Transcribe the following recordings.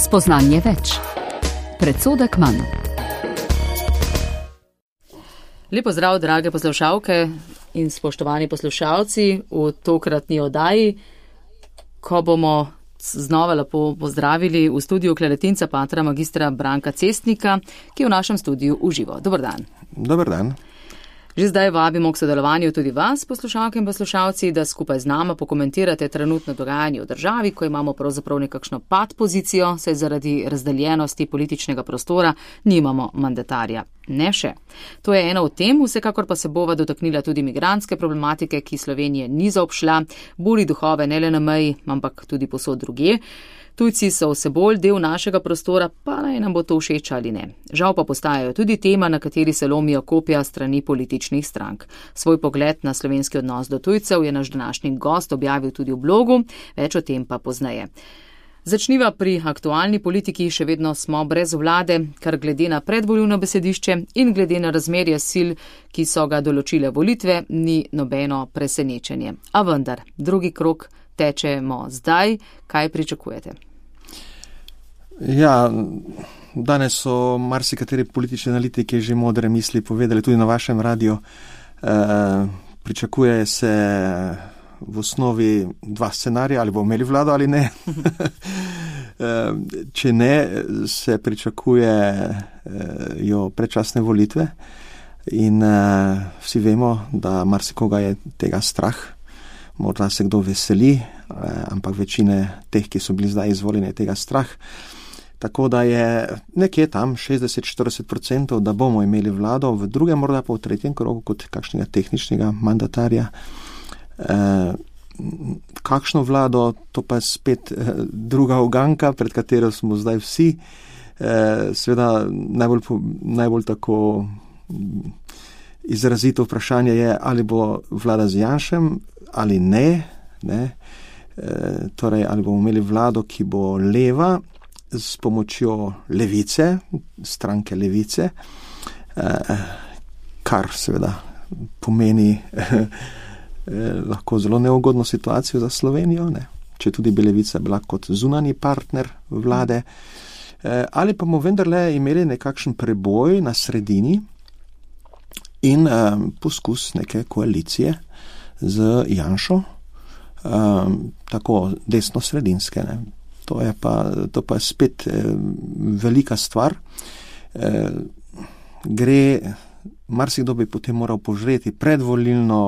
Spoznanje več. Predsodek manj. Lepo zdrav, drage poslušalke in spoštovani poslušalci v tokratni oddaji, ko bomo znova lepo pozdravili v studiu kleretinca patra magistra Branka Cestnika, ki je v našem studiu v živo. Dober dan. Dober dan. Že zdaj vabimo k sodelovanju tudi vas, poslušalke in poslušalci, da skupaj z nama pokomentirate trenutno dogajanje v državi, ko imamo pravzaprav nekakšno pad pozicijo, saj zaradi razdeljenosti političnega prostora nimamo mandatarja. Ne še. To je ena od tem, vsekakor pa se bova dotaknila tudi migrantske problematike, ki Slovenije ni zaobšla, buri duhove ne le na meji, ampak tudi povsod drugje. Tujci so vse bolj del našega prostora, pa naj nam bo to všeč ali ne. Žal pa postajajo tudi tema, na kateri se lomijo kopja strani političnih strank. Svoj pogled na slovenski odnos do tujcev je naš današnji gost objavil tudi v blogu, več o tem pa pozneje. Začniva pri aktualni politiki, še vedno smo brez vlade, kar glede na predvoljivno besedišče in glede na razmerje sil, ki so ga določile volitve, ni nobeno presenečenje. A vendar, drugi krog tečemo zdaj. Kaj pričakujete? Ja, danes so marsikateri politični analitiki že modre misli povedali, tudi na vašem radiju. Pričakuje se v osnovi dva scenarija, ali bomo imeli vlado ali ne. Če ne, se pričakujejo predčasne volitve in vsi vemo, da marsikoga je tega strah. Morda se kdo veseli, ampak večine teh, ki so bili zdaj izvoljeni, je tega strah. Tako da je nekje tam 60-40%, da bomo imeli vlado, v drugem, morda pa v tretjem krogu kot kakšnega tehničnega mandatarja. Kakšno vlado, to pa je spet druga uganka, pred katero smo zdaj vsi. Seveda najbolj tako izrazito vprašanje je, ali bo vlada z Janšem ali ne. Torej, ali bomo imeli vlado, ki bo leva s pomočjo levice, stranke levice, kar seveda pomeni lahko zelo neugodno situacijo za Slovenijo, če tudi bi levica bila kot zunanji partner vlade, ali pa bomo vendarle imeli nekakšen preboj na sredini in poskus neke koalicije z Janšo, tako desno-sredinske. To pa je spet velika stvar. Marsikdo bi potem moral požreti predvolilno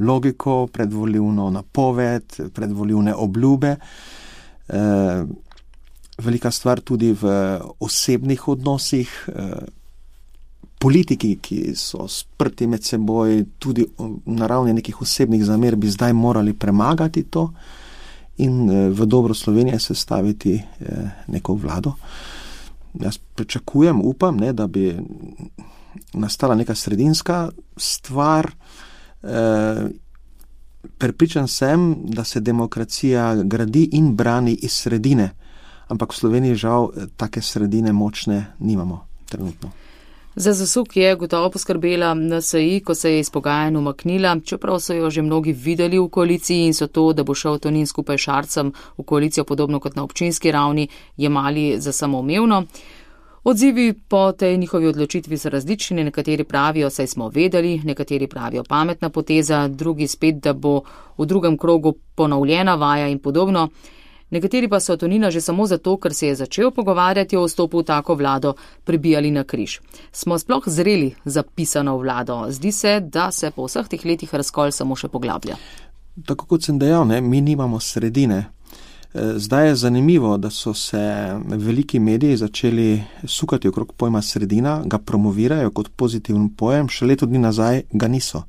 logiko, predvolilno napoved, predvolilne obljube. Velika stvar tudi v osebnih odnosih. Politiki, ki so sprti med seboj, tudi na ravni nekih osebnih zamer, bi zdaj morali premagati to in v dobro Slovenije sestaviti neko vlado. Jaz pričakujem, upam, da bi nastala neka sredinska stvar. Prepričan sem, da se demokracija gradi in brani iz sredine, ampak v Sloveniji žal take sredine močne nimamo trenutno. Za zasuk je gotovo poskrbela NSI, ko se je iz pogajanj umaknila, čeprav so jo že mnogi videli v koaliciji in so to, da bo šel Tonin skupaj s Šarcem v koalicijo podobno kot na občinski ravni, jemali za samoumevno. Odzivi po tej njihovi odločitvi so različni, nekateri pravijo, saj smo vedeli, nekateri pravijo pametna poteza, drugi spet, da bo v drugem krogu ponovljena vaja in podobno. Nekateri pa so Tonina že samo zato, ker se je začel pogovarjati o vstopu v tako vlado, pribijali na križ. Smo sploh zreli za pisano vlado? Zdi se, da se po vseh teh letih razkol samo še poglablja. Tako kot sem dejal, mi nimamo sredine. Zdaj je zanimivo, da so se veliki mediji začeli sukati okrog pojma sredina, ga promovirajo kot pozitiven pojem, še leto dni nazaj ga niso.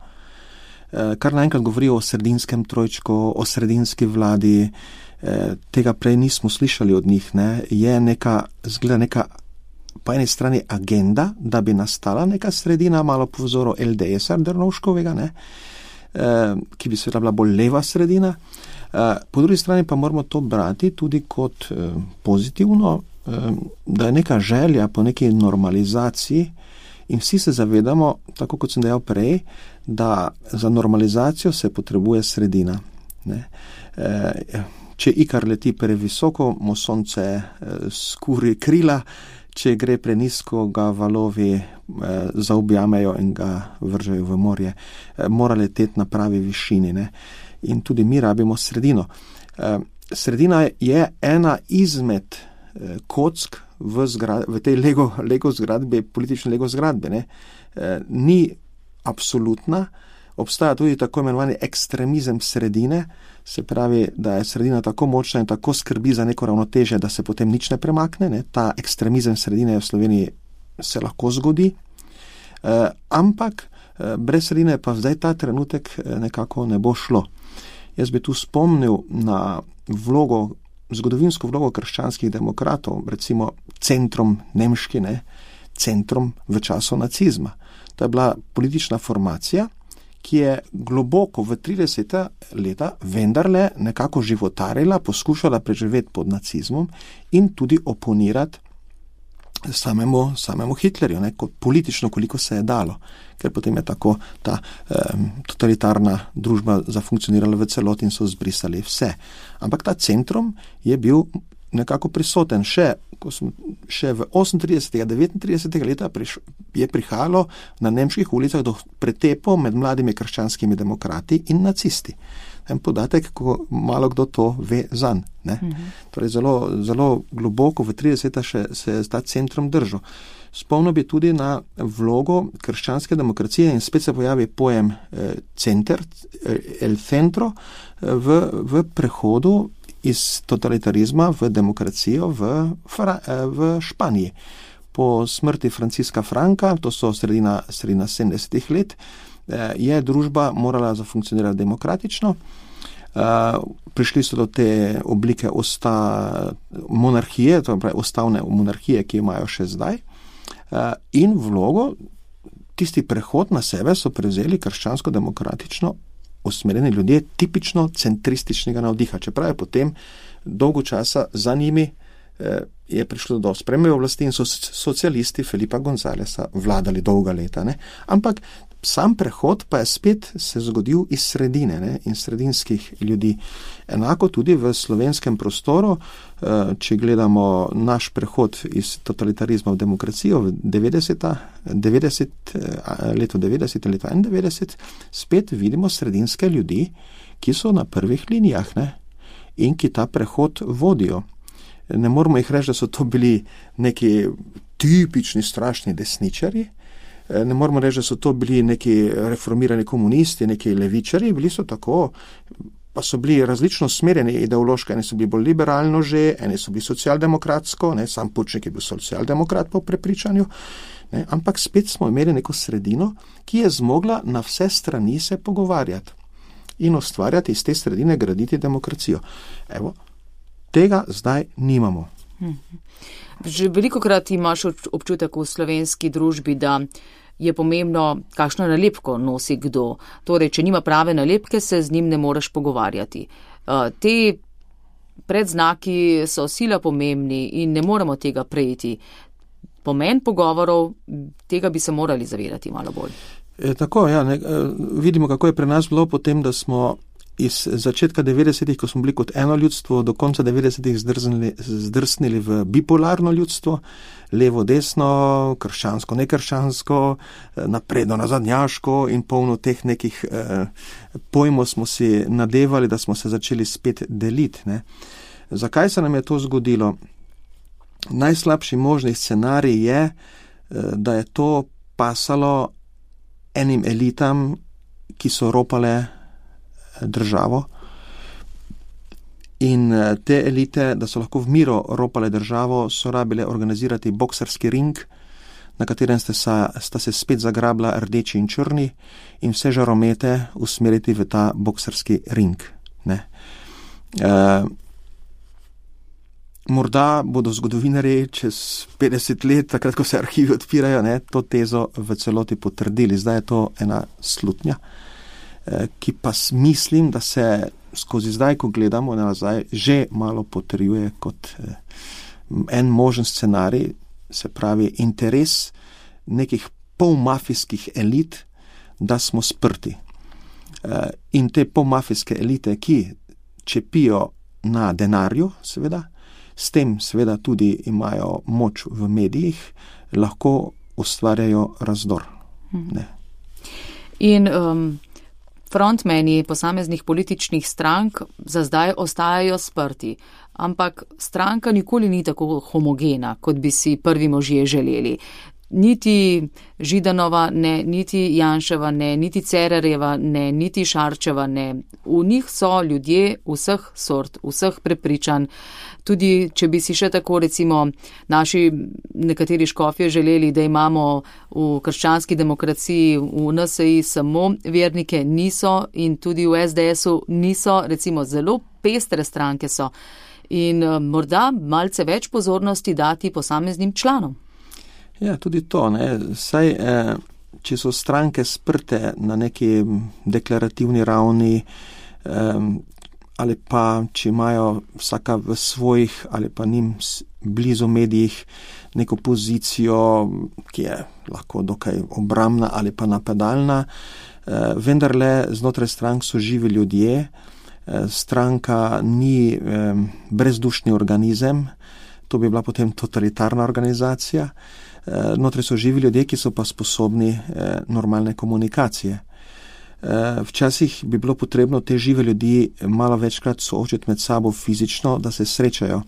Kar naenkrat govorijo o sredinskem trojčku, o sredinski vladi, tega prej nismo slišali od njih. Je zgleda neka po eni strani agenda, da bi nastala neka sredina, malo po vzoru LDS-a Drnovškovega, ki bi seveda bila bolj leva sredina. Po drugi strani pa moramo to brati tudi kot pozitivno, da je neka želja po neki normalizaciji in vsi se zavedamo, tako kot sem dejal prej, da za normalizacijo se potrebuje sredina. Ne. Če ikar leti previsoko, mu sonce skuri krila, če gre prenisko, ga valovi zaobjamejo in ga vržejo v morje. Mora leteti na pravi višini, ne. In tudi mi rabimo sredino. Sredina je ena izmed kock v tej Lego zgradbi, politične Lego zgradbe, ne. Ni absolutna, obstaja tudi tako imenovani ekstremizem sredine, se pravi, da je sredina tako močna in tako skrbi za neko ravnotežje, da se potem nič ne premakne, ne. Ta ekstremizem sredine v Sloveniji se lahko zgodi, ampak brez sredine pa zdaj ta trenutek nekako ne bo šlo. Jaz bi tu spomnil na zgodovinsko vlogo krščanskih demokratov, recimo centrom nemški, ne, centrom v času nacizma. To je bila politična formacija, ki je globoko v 30. leta vendarle nekako životarila, poskušala preživeti pod nacizmom in tudi oponirati samemu Hitlerju, ne, politično, koliko se je dalo, ker potem je tako ta totalitarna družba zafunkcionirala v celoti in so zbrisali vse. Ampak ta centrum je bil nekako prisoten še v 38. 39. leta je prihajalo na nemških ulicah do pretepov med mladimi krščanskimi demokrati in nacisti. En podatek, ko malo kdo to ve zanj. Torej zelo, zelo globoko v 30. se je ta centrum držal. Spomnil bi tudi na vlogo krščanske demokracije in spet se pojavi pojem center, el centro, v prehodu iz totalitarizma v demokracijo v Španiji. Po smrti Franciska Franka, to so sredina 70. let, je družba morala zafunkcionirati demokratično. Prišli so do te oblike monarhije, to je ustavne monarhije, ki imajo še zdaj. In vlogo, tisti prehod na sebe so prevzeli krščansko-demokratično usmerjeni ljudje tipično centrističnega navdiha. Čeprav je potem dolgo časa za njimi je prišlo do spremembe oblasti in so socialisti Felipa Gonzalesa vladali dolga leta. Ne? Ampak sam prehod pa je spet se zgodil iz sredine, ne? In sredinskih ljudi. Enako tudi v slovenskem prostoru, če gledamo naš prehod iz totalitarizma v demokracijo v leto 91, spet vidimo sredinske ljudi, ki so na prvih linijah, ne? In ki ta prehod vodijo. Ne moramo jih reči, da so to bili neki tipični strašni desničarji, ne moramo reči, da so to bili neki reformirani komunisti, neki levičarji, bili so tako, pa so bili različno smerjeni ideološko, eni so bili bolj liberalno že, eni so bili socialdemokratsko, ne, sam Pučnik je bil socialdemokrat po prepričanju, ne, ampak spet smo imeli neko sredino, ki je zmogla na vse strani se pogovarjati in ustvarjati iz te sredine, graditi demokracijo. Evo, tega zdaj nimamo. Že velikokrat imaš občutek v slovenski družbi, da je pomembno, kakšno nalepko nosi kdo. Torej, če nima prave nalepke, se z njim ne moreš pogovarjati. Te predznaki so sila pomembni in ne moremo tega prejeti. Pomen pogovorov, tega bi se morali zavedati malo bolj. Tako, ja, vidimo, kako je pri nas bilo potem, da smo iz začetka 90-ih, ko smo bili kot eno ljudstvo, do konca 90-ih zdrsnili v bipolarno ljudstvo, levo, desno, krščansko, nekrščansko, napredno, nazadnjaško in polno teh nekih pojmov smo si nadevali, da smo se začeli spet deliti. Ne. Zakaj se nam je to zgodilo? Najslabši možni scenarij je, da je to pasalo enim elitam, ki so ropale državo in te elite, da so lahko v miru ropale državo, so rabile organizirati boksarski ring, na katerem sta se spet zagrabila rdeči in črni in vse žaromete usmeriti v ta boksarski ring. Ne. Morda bodo zgodovinarji čez 50 let, takrat, ko se arhivi odpirajo, ne, to tezo v celoti potrdili. Zdaj je to ena slutnja, ki pa mislim, da se skozi zdaj, ko gledamo nazaj, že malo potrjuje kot en možen scenarij, se pravi interes nekih polmafijskih elit, da smo sprti. In te pomafijske elite, ki čepijo na denarju, seveda, s tem seveda tudi imajo moč v medijih, lahko ustvarjajo razdor. Ne. In frontmeni posameznih političnih strank za zdaj ostajajo sprti, ampak stranka nikoli ni tako homogena, kot bi si prvi možje želeli. Niti Židanova ne, niti Janševa ne, niti Cerarjeva ne, niti Šarčeva ne. V njih so ljudje vseh sort, vseh prepričanj. Tudi, če bi si še tako, recimo, naši nekateri škofje želeli, da imamo v krščanski demokraciji, v NSI samo vernike, niso, in tudi v SDS-u niso, recimo, zelo pestre stranke so. In morda malce več pozornosti dati posameznim članom. Ja, tudi to, ne. Saj, če so stranke sprte na neki deklarativni ravni, ali pa če imajo vsaka v svojih ali pa njim blizu medijih neko pozicijo, ki je lahko dokaj obrambna ali pa napadalna, vendarle znotraj strank so živi ljudje, stranka ni brezdušni organizem, to bi bila potem totalitarna organizacija. Notri so živi ljudje, ki so pa sposobni normalne komunikacije. Včasih bi bilo potrebno te žive ljudi malo večkrat soočiti med sabo fizično, da se srečajo.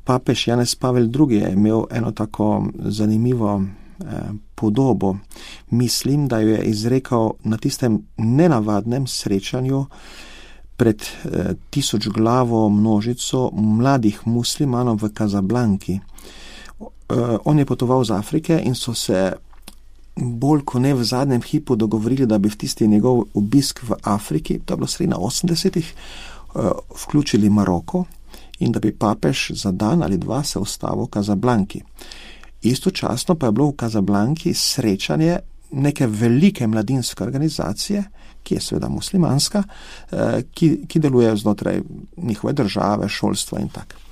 Papež Janez Pavel II je imel eno tako zanimivo podobo. Mislim, da jo je izrekel na tistem nenavadnem srečanju pred 1000-glavo množico mladih muslimanov v Kazablanki. On je potoval z Afrike in so se bolj kot ne v zadnjem hipu dogovorili, da bi v tisti njegov obisk v Afriki, to je bilo sredi na 80-ih, vključili Maroko in da bi papež za dan ali dva se ustavil v Kazablanki. Istočasno pa je bilo v Kazablanki srečanje neke velike mladinske organizacije, ki je seveda muslimanska, ki deluje znotraj njihove države, šolstva in tako.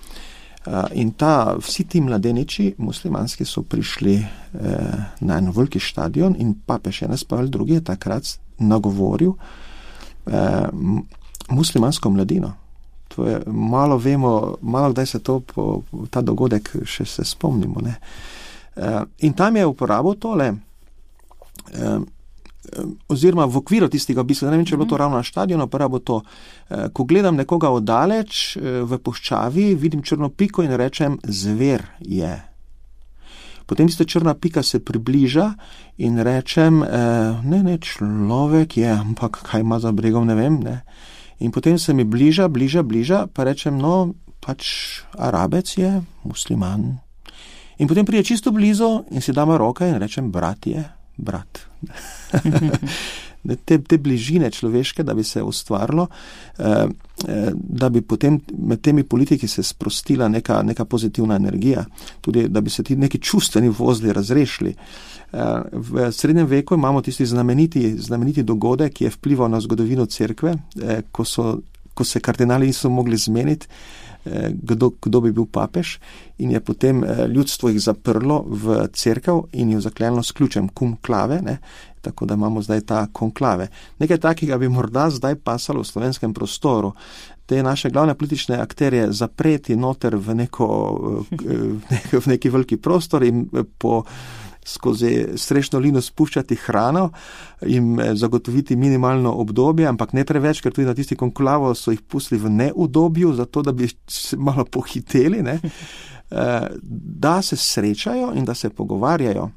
In vsi ti mladeniči muslimanski so prišli na en veliki štadion in papež Janez Pavel II je takrat nagovoril muslimansko mladino. To je, malo vemo, malo kdaj se ta dogodek še se spomnimo. Ne? In tam je uporabil tole, oziroma v okviru tistega obiska, ne vem, če je bilo to ravno na štadionu, uporabil to, ko gledam nekoga oddaleč v puščavi, vidim črno piko in rečem, zver je. Potem tista črna pika se približa in rečem, ne, človek je, ampak kaj ima za bregom, ne vem, ne. In potem se mi bliža, pa rečem, no, pač Arabec je, musliman. In potem pride čisto blizu in si dama roke in rečem, brat je, brat. Te bližine človeške, da bi se ustvarilo, da bi potem med temi politiki se sprostila neka pozitivna energija, tudi da bi se ti neki čustveni vozli razrešili. V srednjem veku imamo tisti znameniti dogodek, ki je vplival na zgodovino cerkve, ko se kardinali niso mogli zmeniti, kdo bi bil papež, in je potem ljudstvo jih zaprlo v cerkev in jo zaklenilo s ključem cum clave, ne, tako da imamo zdaj ta konklave. Nekaj takega bi morda zdaj pasalo v slovenskem prostoru. Te naše glavne politične akterje zapreti noter v neki veliki prostor in skozi strešno lino spuščati hrano in zagotoviti minimalno obdobje, ampak ne preveč, ker tudi na tisti konklavo so jih pustili v neudobju, zato da bi se malo pohiteli, ne? Da se srečajo in da se pogovarjajo.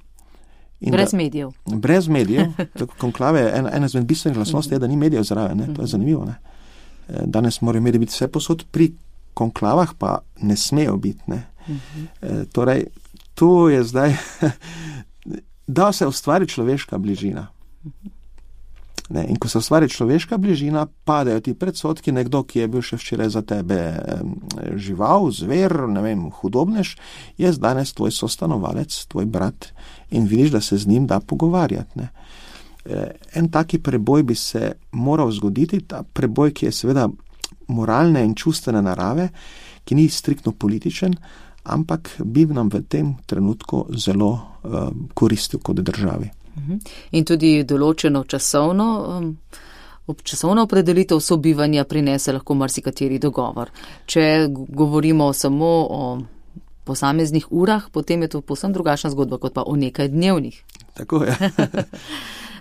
Brez medijev. Brez medijev. Konklave je ena izmed bistvenih lastnosti, je, da ni medijev zraven, ne? To je zanimivo. Ne? Danes morajo mediji biti vse posod, pri konklavah pa ne smejo biti. Ne? Torej, to je zdaj, da se ustvari človeška bližina. Ne, in ko se ustvari človeška bližina, padajo ti predsodki, nekdo, ki je bil še včeraj za tebe žival, zver, ne vem, hudobnež, je danes tvoj sostanovalec, tvoj brat in vidiš, da se z njim da pogovarjati. Ne. En taki preboj bi se moral zgoditi, ta preboj, ki je seveda moralne in čustvene narave, ki ni striktno političen, ampak bi nam v tem trenutku zelo koristil kot državi. In tudi določeno časovno časovna opredelitev sobivanja prinese lahko marsikateri dogovor. Če govorimo samo o posameznih urah, potem je to povsem drugačna zgodba, kot pa o nekaj dnevnih. Tako je.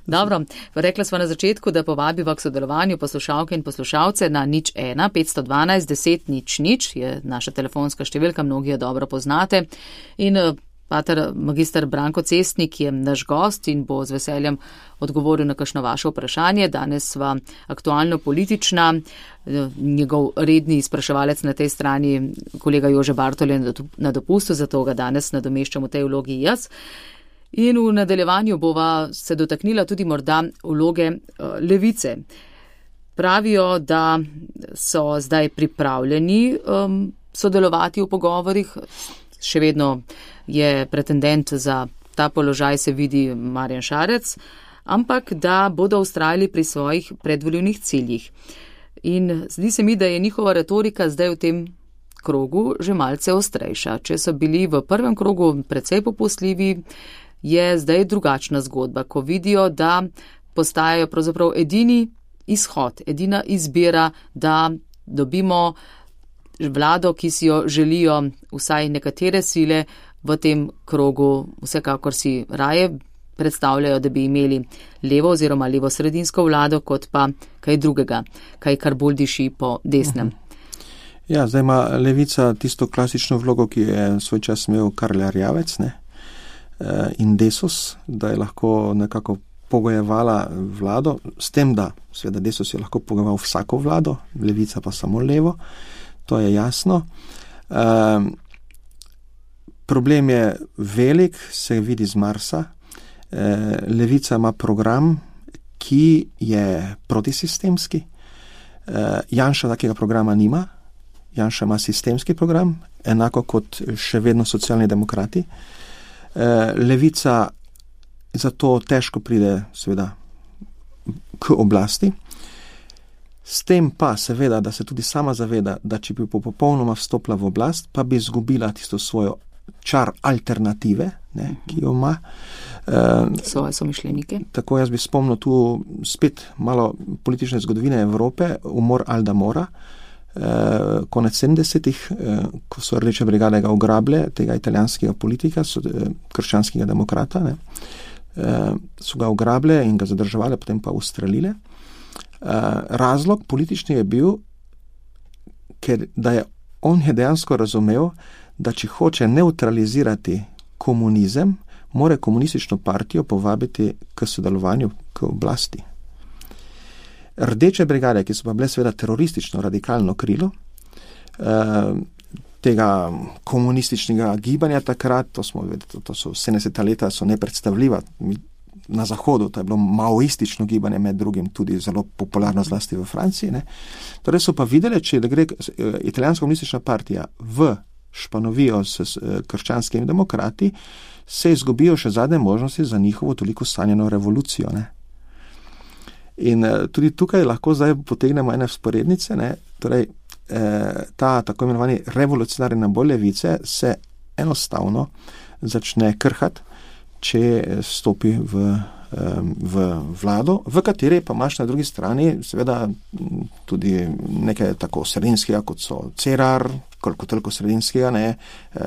Dobro, rekla sva na začetku, da povabiva k sodelovanju poslušalke in poslušalce na 01 512 10 00 je naša telefonska številka, mnogi jo dobro poznate. In pater magister Branko Cestnik je naš gost in bo z veseljem odgovoril na kakšno vaše vprašanje. Danes sva aktualno politična, njegov redni spraševalec na tej strani, kolega Jože Bartol je na dopustu, zato ga danes nadomeščam v tej vlogi jaz. In v nadaljevanju bova se dotaknila tudi morda vloge levice. Pravijo, da so zdaj pripravljeni sodelovati v pogovorih, še vedno je pretendent za ta položaj, se vidi Marjan Šarec, ampak da bodo vztrajali pri svojih predvoljivnih ciljih. In zdi se mi, da je njihova retorika zdaj v tem krogu že malce ostrejša. Če so bili v prvem krogu precej popustljivi, je zdaj drugačna zgodba, ko vidijo, da postajajo pravzaprav edini izhod, edina izbira, da dobimo vlado, ki si jo želijo vsaj nekatere sile v tem krogu. Vsekakor si raje predstavljajo, da bi imeli levo oziroma levo-sredinsko vlado, kot pa kaj drugega, kaj kar bolj diši po desnem. Ja, zdaj ima levica tisto klasično vlogo, ki je svoj čas imel Karl Erjavec, ne? In Desus, da je lahko nekako pogojevala vlado, s tem, da seveda Desus je lahko pogojeval vsako vlado, levica pa samo levo, to je jasno. Problem je velik, se vidi z Marsa. Levica ima program, ki je protisistemski. Janša takega programa nima. Janša ima sistemski program, enako kot še vedno socialni demokrati. Levica zato težko pride seveda k oblasti. S tem pa seveda, da se tudi sama zaveda, da če bi popolnoma vstopila v oblast, pa bi izgubila tisto svojo čar alternative, ne, ki jo ima. Svoje somišljenike. Tako jaz bi spomnil tu spet malo politične zgodovine Evrope, umor Alda Mora, konec 70-ih, ko so Rdeče brigade ga ugrabile, tega italijanskega politika, krščanskega demokrata, ne, so ga ugrabile in ga zadrževali, potem pa ustrelile. Razlog politični je bil, ker on je dejansko razumel, da če hoče neutralizirati komunizem, mora komunistično partijo povabiti k sodelovanju, k oblasti. Rdeče brigade, ki so pa bile seveda teroristično, radikalno krilo tega komunističnega gibanja takrat, to so 70. leta, so nepredstavljiva. Na Zahodu, to je bilo maoistično gibanje, med drugim tudi zelo popularno zlasti v Franciji. Ne. Torej so pa videli, če da gre italijanska komunistična partija v španovijo s krščanskimi demokrati, se izgubijo še zadnje možnosti za njihovo toliko sanjeno revolucijo. Ne. In tudi tukaj lahko zdaj potegnemo ene vzporednice, ne. Torej, ta tako imenovani revolucionarni naboj levice se enostavno začne krhati, če stopi v vlado, v kateri pa imaš na drugi strani seveda tudi nekaj tako sredinskega, kot so Cerar, koliko toliko sredinskega, ne,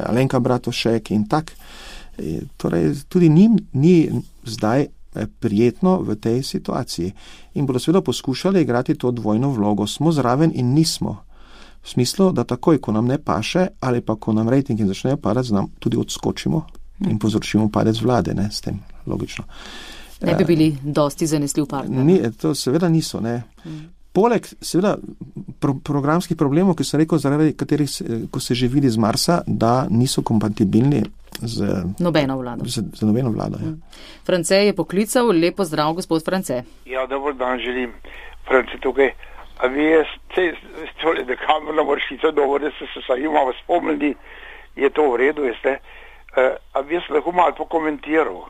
Alenka Bratušek in tak. Torej, tudi njim ni zdaj prijetno v tej situaciji. In bodo seveda poskušali igrati to dvojno vlogo. Smo zraven in nismo. V smislu, da takoj, ko nam ne paše, ali pa ko nam rejtingi začnejo padati, nam tudi odskočimo in povzročimo padec vlade, ne, s tem, logično. Ne bi bili dosti zanesljiv partner. To seveda niso, ne. Poleg, seveda, programskih problemov, ki sem rekel, zaradi katerih, ko se že vidi z Marsa, da niso kompatibilni z nobeno vlado. Z nobeno vlado, ja. France je poklical, lepo zdrav, gospod France. Ja, dober dan želim. France tukaj. A vi tole, da kamerna vršica dobro, da ste se sajima spomnili, je to v redu, veste? A bi jaz lahko malo pokomentiral?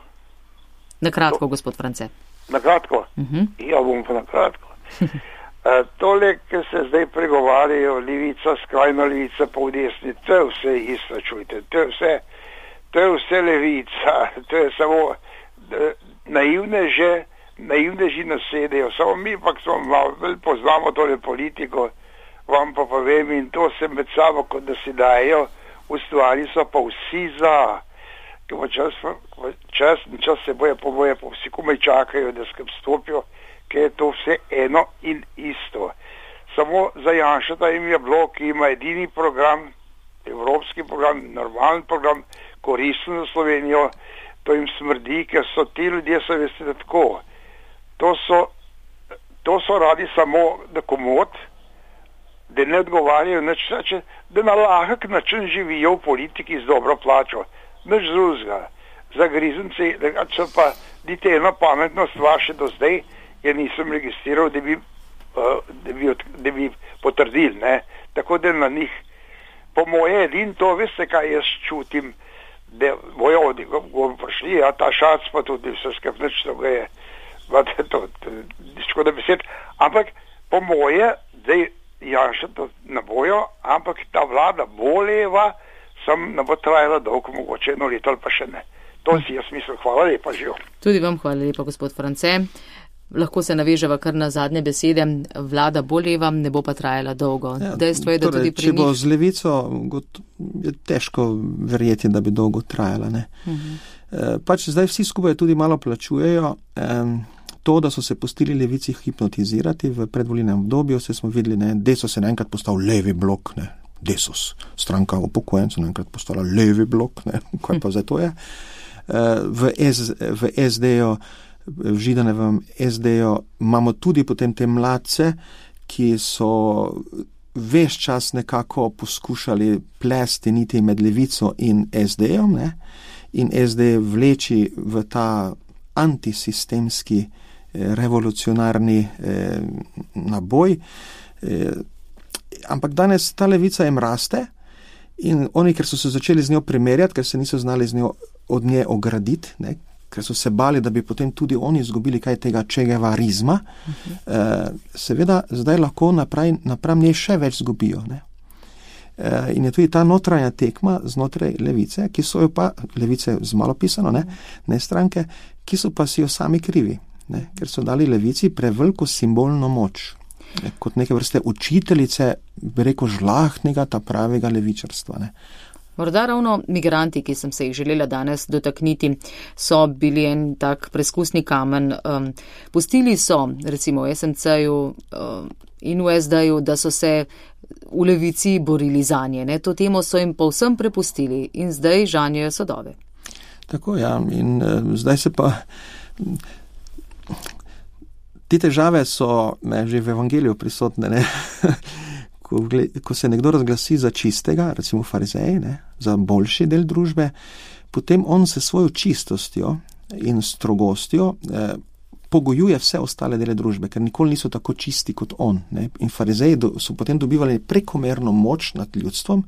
Nakratko, gospod France. Nakratko? Ja, bom pa nakratko. Tole, ki se zdaj pregovarjajo, levica, skrajna levica, pa v desni, to je vse isto, čujte, to je vse levica, to je samo naivneže naivneži nasedejo, samo mi pa smo malo poznamo tole politiko, vam pa povem in to se med sabo, kot da si dajo, ustvari so pa vsi za, ker čas se boje poboje, pa vsi komaj čakajo, da skrb stopijo, ker je to vse eno in isto. Samo za Janšeta jim je bilo, ki ima edini program, evropski program, normalen program, koristen za Slovenijo, to jim smrdi, ker so ti ljudje, so veste, da tako. To so radi samo da komod, da ne odgovarjajo, da na lahek način živijo v politiki z dobro plačo. Nič drugega. Za grizenci, da so pa niti eno pametno stvar še do zdaj, ja nisem registriral, da bi potrdili, ne. Tako da na njih, po moje edin to, veste, kaj jaz čutim, da bojo prišli, ja, ta šac pa tudi vse skepnič, to ga je, to škoda besed, ampak po moje, da Janša to ne bojo, ampak ta vlada bo leva, sam ne bo trajala dolgo, mogoče 1 leto ali pa še ne. To si jaz mislim, hvala lepa, živo. Tudi vam hvala lepa, gospod France. Lahko se naveževa kar na zadnje besede, vlada bo leva, ne bo pa trajala dolgo. Ja, dejstvo je, da tudi pri njih... Če bo z levico, je težko verjeti, da bi dolgo trajala. Ne? Pač zdaj vsi skupaj tudi malo plačujejo. To, da so se pustili levici hipnotizirati v predvolilnem obdobju, se smo videli, ne, Desus je naenkrat postal levi blok, ne, Desus, stranka upokojencev, naenkrat postala levi blok, ne, kaj pa zdaj to je. V SD-ju, v Židanevem SD-ju imamo tudi potem te mladce, ki so ves čas nekako poskušali plesti niti med levico in SD-jem, ne, in SD vleči v ta antisistemski revolucionarni naboj. Ampak danes ta levica jim raste in oni, ker so se začeli z njo primerjati, ker se niso znali od nje ograditi, ne, ker so se bali, da bi potem tudi oni izgubili kaj tega čegevarizma, seveda zdaj lahko napram nje še več zgubijo. Ne. In je tudi ta notranja tekma znotraj levice, ki so jo pa, levice z malo pisano, ne stranke, ki so pa si jo sami krivi. Ne, ker so dali levici preveliko simbolno moč, ne, kot neke vrste učiteljice, bi rekel, žlahtnega, ta pravega levičarstva. Ne. Morda ravno migranti, ki sem se jih želela danes dotakniti, so bili en tak preskusni kamen. Pustili so, recimo v SMC-ju in v SD-ju, da so se v levici borili zanje. Ne. To temo so jim povsem prepustili in zdaj žanjejo sadove. Tako, ja, in zdaj se pa... Te težave so že v evangeliju prisotne, ne? Ko se nekdo razglasi za čistega, recimo farizeji, ne? Za boljši del družbe, potem on se svojo čistostjo in strogostjo pogojuje vse ostale dele družbe, ker nikoli niso tako čisti kot on. Ne? In farizeji so potem dobivali prekomerno moč nad ljudstvom,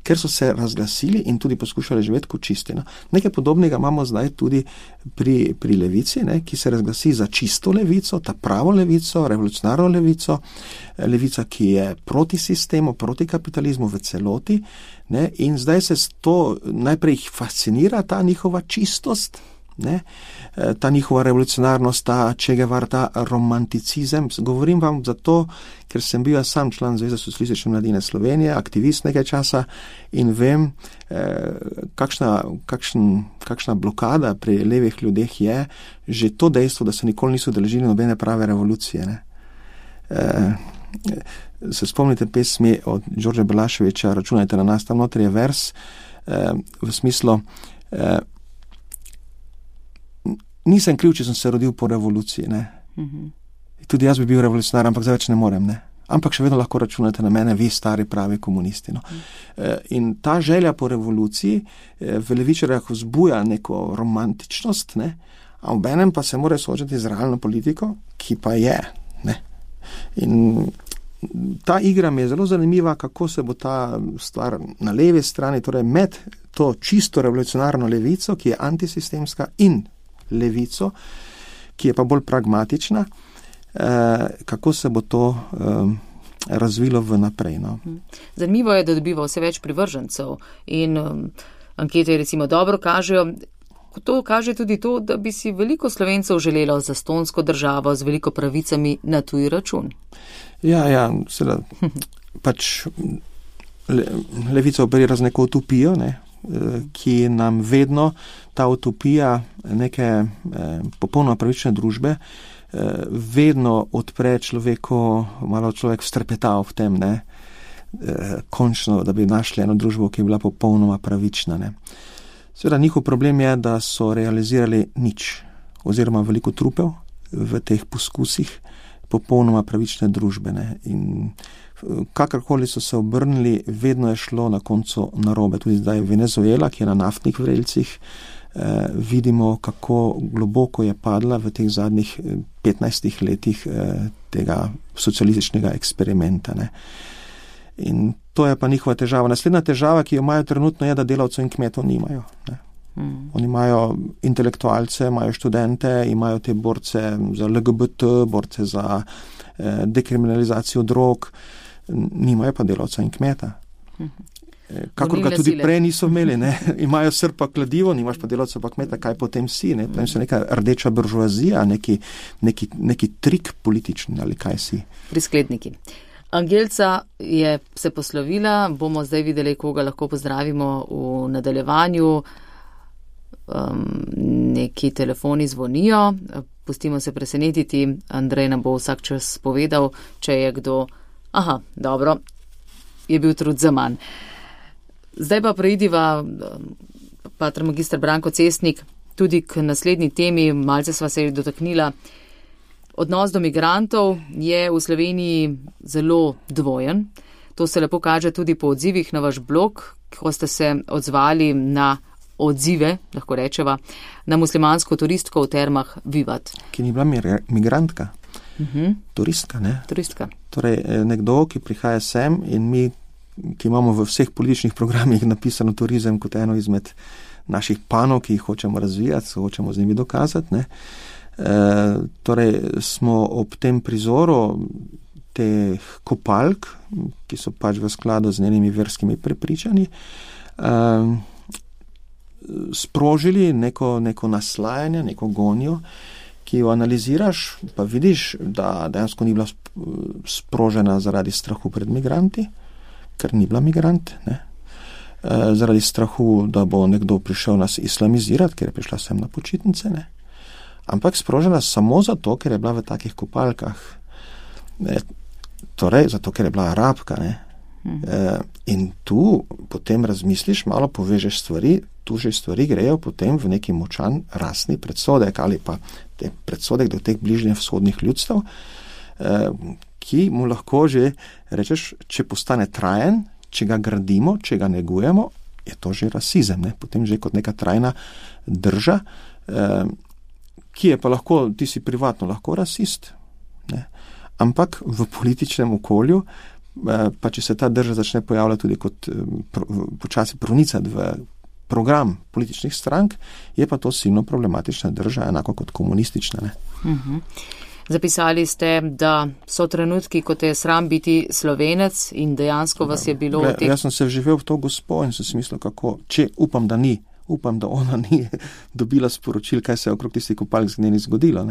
ker so se razglasili in tudi poskušali živeti kot čisti. No? Nekaj podobnega imamo zdaj tudi pri levici, ne? Ki se razglasi za čisto levico, ta pravo levico, revolucionarno levico, levica, ki je proti sistemu, proti kapitalizmu v celoti, ne? In zdaj se to najprej jih fascinira, ta njihova čistost, ne? Ta njihova revolucionarnost, ta Čegevar, ta romanticizem. Govorim vam zato, ker sem bil sam član Zveze socialistične mladine Slovenije, aktivist nekaj časa in vem, kakšna blokada pri levih ljudeh je že to dejstvo, da se nikoli niso udeležili nobene prave revolucije. Ne? Se spomnite pesmi od Đorđa Belaševića, Računajte na nas, tam notri je vers v smislu nisem kriv, če sem se rodil po revoluciji. Ne? Tudi jaz bi bil revolucionar, ampak zdaj več ne morem. Ne? Ampak še vedno lahko računate na mene, vi stari pravi komunisti. No? In ta želja po revoluciji v levičarjah vzbuja neko romantičnost, ne? A v enem pa se mora soočati z realno politiko, ki pa je. Ne? In ta igra mi je zelo zanimiva, kako se bo ta stvar na levi strani, torej med to čisto revolucionarno levico, ki je antisistemska, in levico, ki je pa bolj pragmatična, kako se bo to razvilo v naprej. No? Zanimivo je, da dobiva vse več privržencev in ankete recimo dobro kažejo, to kaže tudi to, da bi si veliko Slovencev želelo zastonsko državo z veliko pravicami na tuji račun. Ja, seveda, pač levica operira z neko utopijo, ki nam vedno ta utopija neke popolnoma pravične družbe vedno odpre človeku, malo človek vstrpetal v tem, končno, da bi našli eno družbo, ki je bila popolnoma pravična. Seveda njihov problem je, da so realizirali nič, oziroma veliko trupel v teh poskusih popolnoma pravične družbe. In kakorkoli so se obrnili, vedno je šlo na koncu narobe. Tudi zdaj Venezuela, ki je na naftnih vrelcih, vidimo, kako globoko je padla v teh zadnjih 15 letih tega socialističnega eksperimenta. In to je pa njihova težava. Naslednja težava, ki jo imajo trenutno, je, da delavcev in kmetov nimajo. Oni imajo intelektualce, imajo študente, imajo te borce za LGBT, borce za dekriminalizacijo drog, nimajo pa delavca in kmeta. Kakor ga tudi prej niso imeli, imajo srpa kladivo, nimaš pa delavca pa kmeta, kaj potem si, potem so neka rdeča buržoazija, neki trik politični ali kaj si. Priskledniki. Angelca je se poslovila, bomo zdaj videli, koga lahko pozdravimo v nadaljevanju. Neki telefoni zvonijo, pustimo se presenetiti, Andrej nam bo vsak čas povedal, če je kdo, dobro, je bil trud za manj. Zdaj pa preidiva, pater magister Branko Cestnik, tudi k naslednji temi, malce sva se dotaknila. Odnos do migrantov je v Sloveniji zelo dvojen. To se lepo kaže tudi po odzivih na vaš blog, ko ste se odzvali na odzive, lahko rečeva, na muslimansko turistko v termah Vivat. Ki ni bila migrantka, turistka, Turistka. Torej, nekdo, ki prihaja sem in mi, ki imamo v vseh političnih programih napisano turizem kot eno izmed naših panov, ki jih hočemo razvijati, hočemo z njimi dokazati, torej smo ob tem prizoru teh kopalk, ki so pač v skladu z njenimi verskimi prepričanji, sprožili neko naslajanje, neko gonjo, ki jo analiziraš, pa vidiš, da dejansko ni bila sprožena zaradi strahu pred migranti, ker ni bila migrant, zaradi strahu, da bo nekdo prišel nas islamizirati, ker je prišla sem na počitnice, ampak sprožena samo zato, ker je bila v takih kopalkah. Torej, zato, ker je bila Arabka. In tu potem razmisliš, malo povežeš stvari, tu že stvari grejo potem v neki močan rasni predsodek ali pa predsodek do teh bližnje vzhodnih ljudstev, ki mu lahko že rečeš, če postane trajen, če ga gradimo, če ga negujemo, je to že rasizem, potem že kot neka trajna drža, ki je pa lahko, ti si privatno lahko rasist, ampak v političnem okolju, pa če se ta drža začne pojavljati tudi kot počasi pronicati v program političnih strank, je pa to silno problematična drža, enako kot komunistična. Zapisali ste, da so trenutki, ko te je sram biti Slovenec in dejansko vas je bilo... Jaz sem se vživel v to gospo in sem si mislil, kako, če upam, da ona ni dobila sporočil, kaj se je okrog tistih kopalk z njeni zgodilo.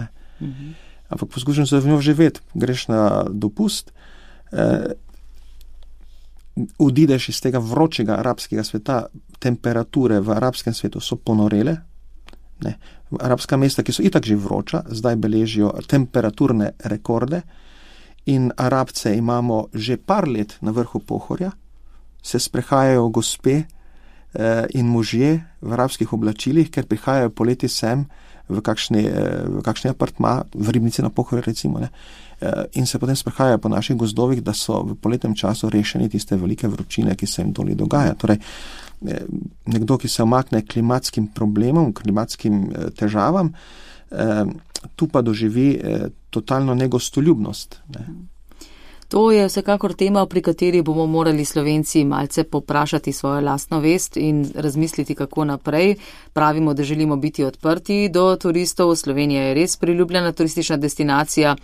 Ampak poskušam se v njo živeti, greš na dopust, odideš iz tega vročega arabskega sveta, temperature v arabskem svetu so ponorele, arabska mesta, ki so itak že vroča, zdaj beležijo temperaturne rekorde in Arabce imamo že par let na vrhu Pohorja, se sprehajajo gospe in možje v arabskih oblačilih, ker prihajajo poleti sem v kakšni apartma, v Ribnici na Pohorju recimo, in se potem sprehajajo po naših gozdovih, da so v poletnem času rešeni tiste velike vročine, ki se jim doli dogaja. Torej, nekdo, ki se omakne klimatskim problemom, klimatskim težavam, tu pa doživi totalno negostoljubnost. To je vsekakor tema, pri kateri bomo morali Slovenci malce poprašati svojo lastno vest in razmisliti, kako naprej. Pravimo, da želimo biti odprti do turistov. Slovenija je res priljubljena turistična destinacija.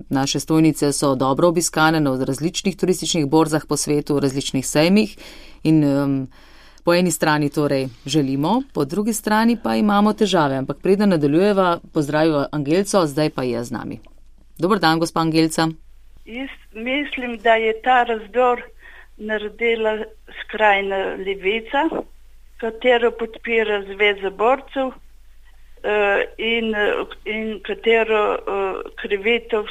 Naše stojnice so dobro obiskane na različnih turističnih borzah po svetu, različnih sejmih in Po eni strani torej želimo, po drugi strani pa imamo težave. Ampak preden nadaljujeva, pozdraviva Angelco, zdaj pa je z nami. Dober dan, gospa Angelca. Jaz mislim, da je ta razdor naredila skrajna levica, katero podpira Zveza borcev in katero krivitev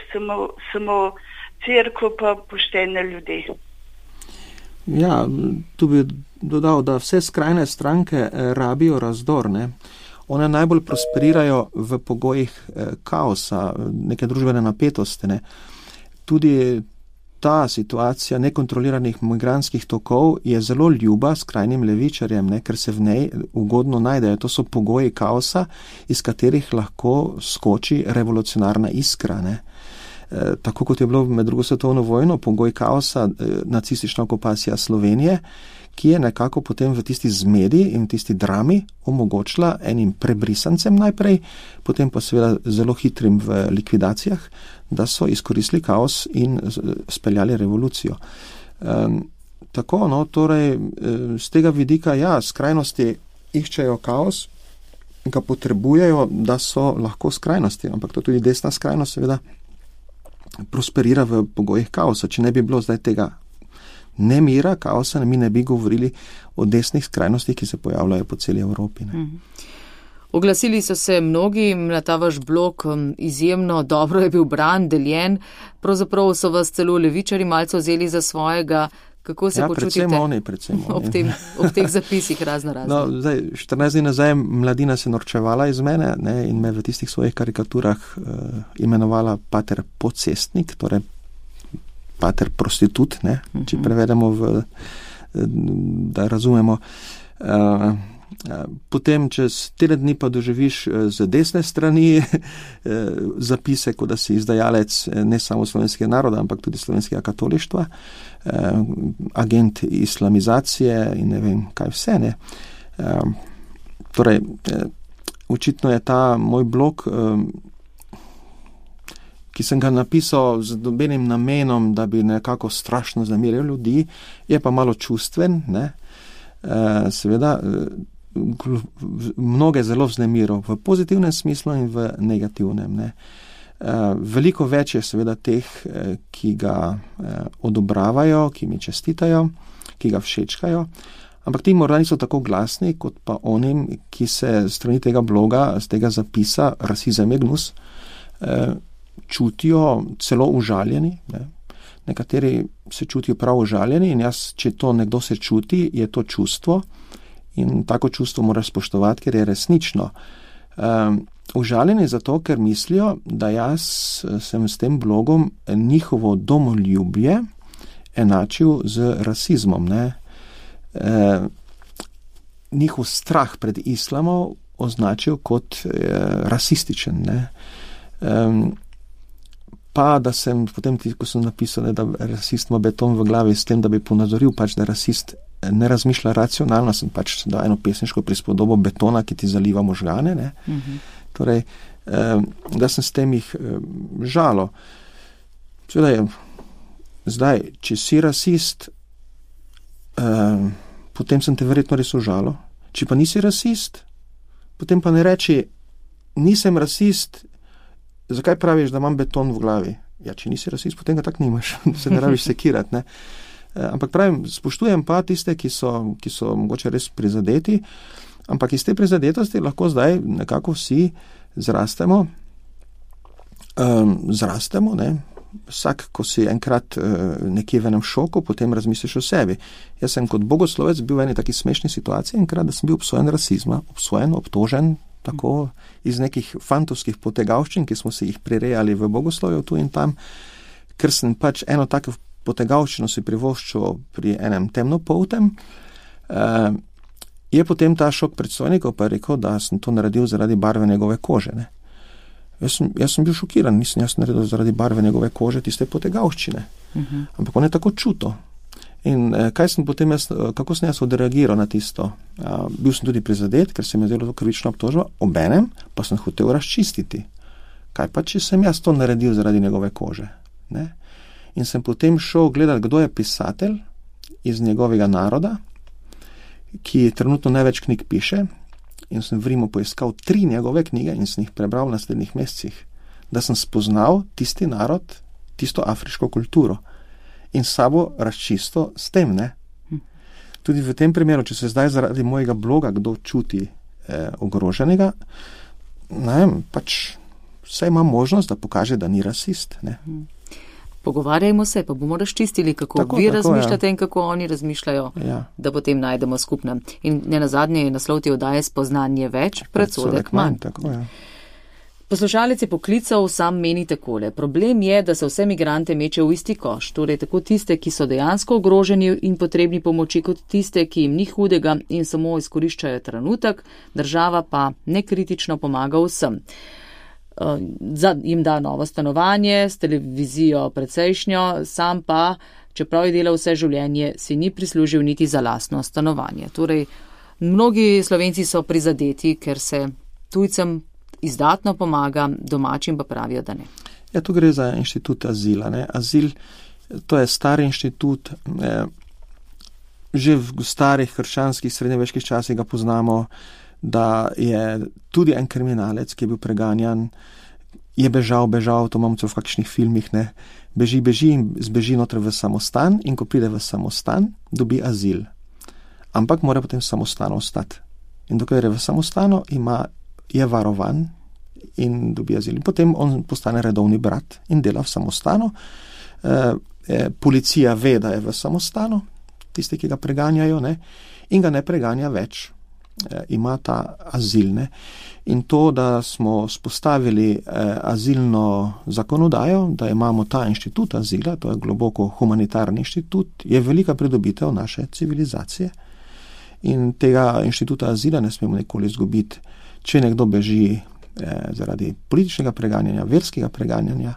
samo cerkev pa poštene ljudi. Ja, tu bi dodal, da vse skrajne stranke rabijo razdor, ne. One najbolj prosperirajo v pogojih kaosa, neke družbene napetosti, ne. Tudi ta situacija nekontroliranih migrantskih tokov je zelo ljuba skrajnim levičarjem, ne, ker se v njej ugodno najdejo. To so pogoji kaosa, iz katerih lahko skoči revolucionarna iskra, ne. Tako kot je bilo med drugo svetovno vojno, pogoj kaosa, nacistična okupacija Slovenije, ki je nekako potem v tisti zmedi in v tisti drami omogočila enim prebrisancem najprej, potem pa seveda zelo hitrim v likvidacijah, da so izkoristili kaos in speljali revolucijo. Tako, no, torej, z tega vidika, ja, skrajnosti iščejo kaos, ga potrebujejo, da so lahko skrajnosti, ampak to tudi desna skrajnost seveda prosperira v pogojih kaosa. Če ne bi bilo zdaj tega nemira, kaosa, mi ne bi govorili o desnih skrajnostih, ki se pojavljajo po celi Evropi. Ne. Oglasili so se mnogi na ta vaš blog, izjemno dobro je bil bran, deljen, pravzaprav so vas celo levičari malce vzeli za svojega. Kako se počutite predvsem oni. Ob teh zapisih razno. No, zdaj, 14 dni nazaj mladina se norčevala iz mene, ne, in me v tistih svojih karikaturah imenovala pater pocestnik, torej pater prostitut, ne, če prevedemo da razumemo. Potem čez teden dni pa doživiš z desne strani zapise, kot da si izdajalec ne samo slovenskega naroda, ampak tudi slovenskega katolištva, agent islamizacije in ne vem kaj vse, ne. Torej, očitno je ta moj blog, ki sem ga napisal z nobenim namenom, da bi nekako strašno zamiril ljudi, je pa malo čustven, ne. Seveda, mnoge zelo vznemiro v pozitivnem smislu in v negativnem, ne. Veliko več je seveda teh, ki ga odobravajo, ki mi čestitajo, ki ga všečkajo, ampak ti morda niso tako glasni, kot pa onim, ki se strani tega bloga, z tega zapisa Rasizem je gnus, čutijo celo užaljeni, ne. Nekateri se čutijo prav užaljeni in jaz, če to nekdo se čuti, je to čustvo in tako čustvo moraš spoštovati, ker je resnično. Užaljeni zato, ker mislijo, da jaz sem s tem blogom njihovo domoljubje enačil z rasizmom, ne. Njihov strah pred islamom označil kot rasističen, ne. Pa da sem potem, ko sem napisal, da rasist ima beton v glavi, s tem, da bi ponazoril pač, da rasist ne razmišlja racionalno, sem pač dal eno pesniško prispodobo betona, ki ti zaliva možgane, ne. Torej, da sem s tem jih žalo. Seveda je, zdaj, če si rasist, potem sem te verjetno res užalo. Če pa nisi rasist, potem pa ne reči, nisem rasist, zakaj praviš, da imam beton v glavi? Ja, če nisi rasist, potem ga tak nimaš, se ne rabiš sekirati, ne. Ampak pravim, spoštujem pa tiste, ki so mogoče res prizadeti, ampak iz te prizadetosti lahko zdaj nekako vsi zrastemo, ne. Vsak, ko si enkrat nekje v enem šoku, potem razmisliš o sebi. Jaz sem kot bogoslovec bil v eni taki smešni situaciji enkrat, da sem bil obsojen rasizma, obtožen, tako iz nekih fantovskih potegavščin, ki smo se jih prirejali v bogoslovju tu in tam, ker sem pač eno tako potegavščino si privoščil pri enem temnopoltem, je potem ta šok predstojnikov pa rekel, da sem to naredil zaradi barve njegove kože, ne. Jaz sem bil šokiran, nisem jaz naredil zaradi barve njegove kože tiste potegavščine. Ampak on je tako čuto. In kako sem jaz odreagiral na tisto? Bil sem tudi prizadet, ker se mi je zdelo to krivična obtožba, obenem pa sem hotel razčistiti. Kaj pa, če sem jaz to naredil zaradi njegove kože? Ne? In sem potem šel gledati, kdo je pisatelj iz njegovega naroda, ki trenutno največ knjig piše, in sem v Rimu poiskal 3 njegove knjige in sem jih prebral v naslednjih mesecih, da sem spoznal tisti narod, tisto afriško kulturo in sabo razčisto s tem, ne. Tudi v tem primeru, če se zdaj zaradi mojega bloga kdo čuti ogroženega, ne vem, pač vse ima možnost, da pokaže, da ni rasist, ne. Pogovarjajmo se, pa bomo razčistili, kako vi razmišljate in kako oni razmišljajo, da potem najdemo skupno. In nenazadnje je naslov te oddaje Spoznanje več, predsodek manj. Tako, ja. Poslušalec je poklical, sam meni takole. Problem je, da se vse migrante meče v isti koš, torej tako tiste, ki so dejansko ogroženi in potrebni pomoči, kot tiste, ki jim ni hudega in samo izkoriščajo trenutek, država pa nekritično pomaga vsem. Jim da novo stanovanje, s televizijo precejšnjo, sam pa, čeprav je delal vse življenje, si ni prislužil niti za lastno stanovanje. Torej, mnogi Slovenci so prizadeti, ker se tujcem izdatno pomaga, domačim pa pravijo, da ne. Ja, tu gre za inštitut azila, ne. Azil, to je star inštitut, že v starih krščanskih srednjeveških časih ga poznamo, da je tudi en kriminalec, ki je bil preganjan, je bežal, to imamo v kakšnih filmih, ne, beži in zbeži noter v samostan in ko pride v samostan, dobi azil. Ampak mora potem v samostanu ostati. In dokler je v samostanu, je varovan in dobi azil. In potem on postane redovni brat in dela v samostanu. Policija ve, da je v samostanu, tisti, ki ga preganjajo, ne, in ga ne preganja več. Ima ta azil, ne. In to, da smo spostavili azilno zakonodajo, da imamo ta inštitut azila, to je globoko humanitarni inštitut, je velika pridobitev naše civilizacije. In tega inštituta azila ne smemo nikoli izgubiti. Če nekdo beži zaradi političnega preganjanja, verskega preganjanja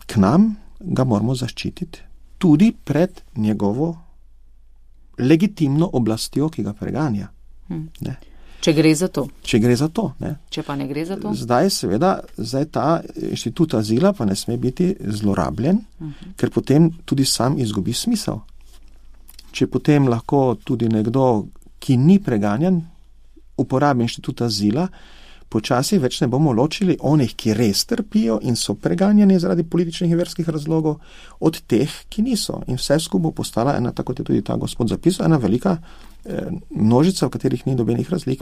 k nam, ga moramo zaščititi tudi pred njegovo legitimno oblastjo, ki ga preganja. Ne. Če gre za to. Če gre za to, ne. Če pa ne gre za to? Zdaj ta inštitut azila pa ne sme biti zlorabljen, ker potem tudi sam izgubi smisel. Če potem lahko tudi nekdo, ki ni preganjan, uporabi inštitut azila, počasi več ne bomo ločili onih, ki res trpijo in so preganjani zaradi političnih in verskih razlogov, od teh, ki niso. In vse skupaj postala ena, tako kot je tudi ta gospod zapisal, ena velika množica, v katerih ni nobenih razlik.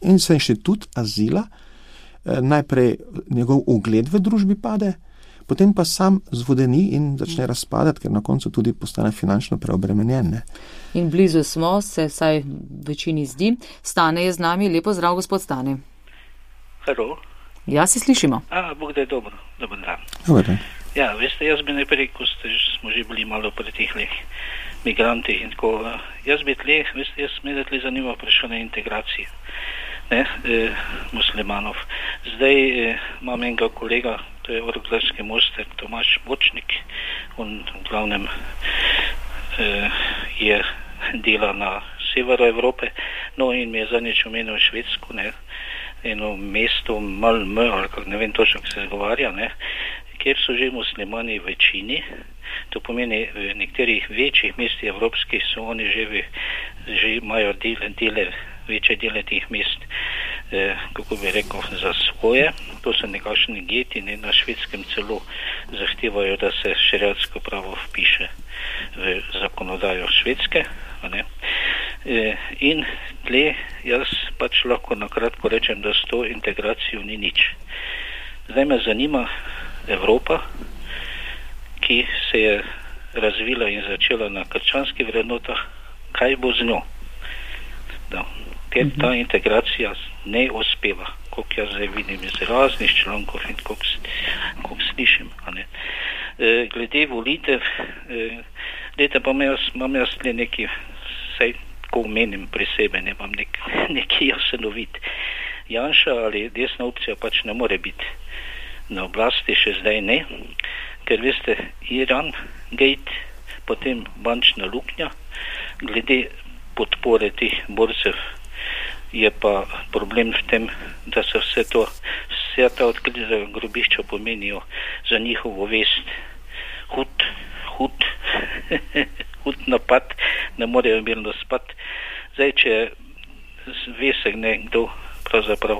In se inštitut azila, najprej njegov ugled v družbi pade, potem pa sam zvodeni in začne razpadati, ker na koncu tudi postane finančno preobremenjen. Ne. In blizu smo, se saj večini zdi. Stane je z nami. Lepo zdrav, gospod Stane. Halo. Ja, se slišimo. Bog da je dobro. Dobar dan. Dobar dan. Ja, veste, jaz bi najprej, ko smo že bili malo pri teh migrantih in tako, jaz bi me tle zanima vprašanje integracije, ne, muslimanov. Zdaj imam enega kolega, to je orglarski mojster Tomaž Bočnik, on v glavnem je dela na severu Evrope, no in mi je zadnjič omenil Švedsko, ne, eno mesto Malmö, ali kako ne vem točno, kako se zagovarja, ne, kjer so že muslimani v večini, to pomeni v nekaterih večjih mestih evropskih so oni že imajo večje dele teh mest, kako bi rekel, za svoje, to so nekakšni geti, ne, na Švedskem celo zahtevajo, da se šeriatsko pravo vpiše v zakonodajo Švedske, ne. In tle jaz pač lahko nakratko rečem, da s to integracijo ni nič. Zdaj me zanima Evropa, ki se je razvila in začela na krščanskih vrednotah, kaj bo z njo? Ker ta integracija ne uspeva, koliko jaz zdaj vidim iz raznih člankov in koliko slišim. Glede volitev, pa imam jaz le neki, saj ko menim pri sebi, ne imam neki jasenovit. Janša ali desna opcija pač ne more biti na oblasti, še zdaj ne, ker veste, Iran, Gate, potem bančna luknja, glede podpore teh borcev je pa problem v tem, da se vse ta odkrita grobišča pomenijo za njihovo vest hud napad ne morejo mirno spati. Zdaj, če ve se nekdo pravzaprav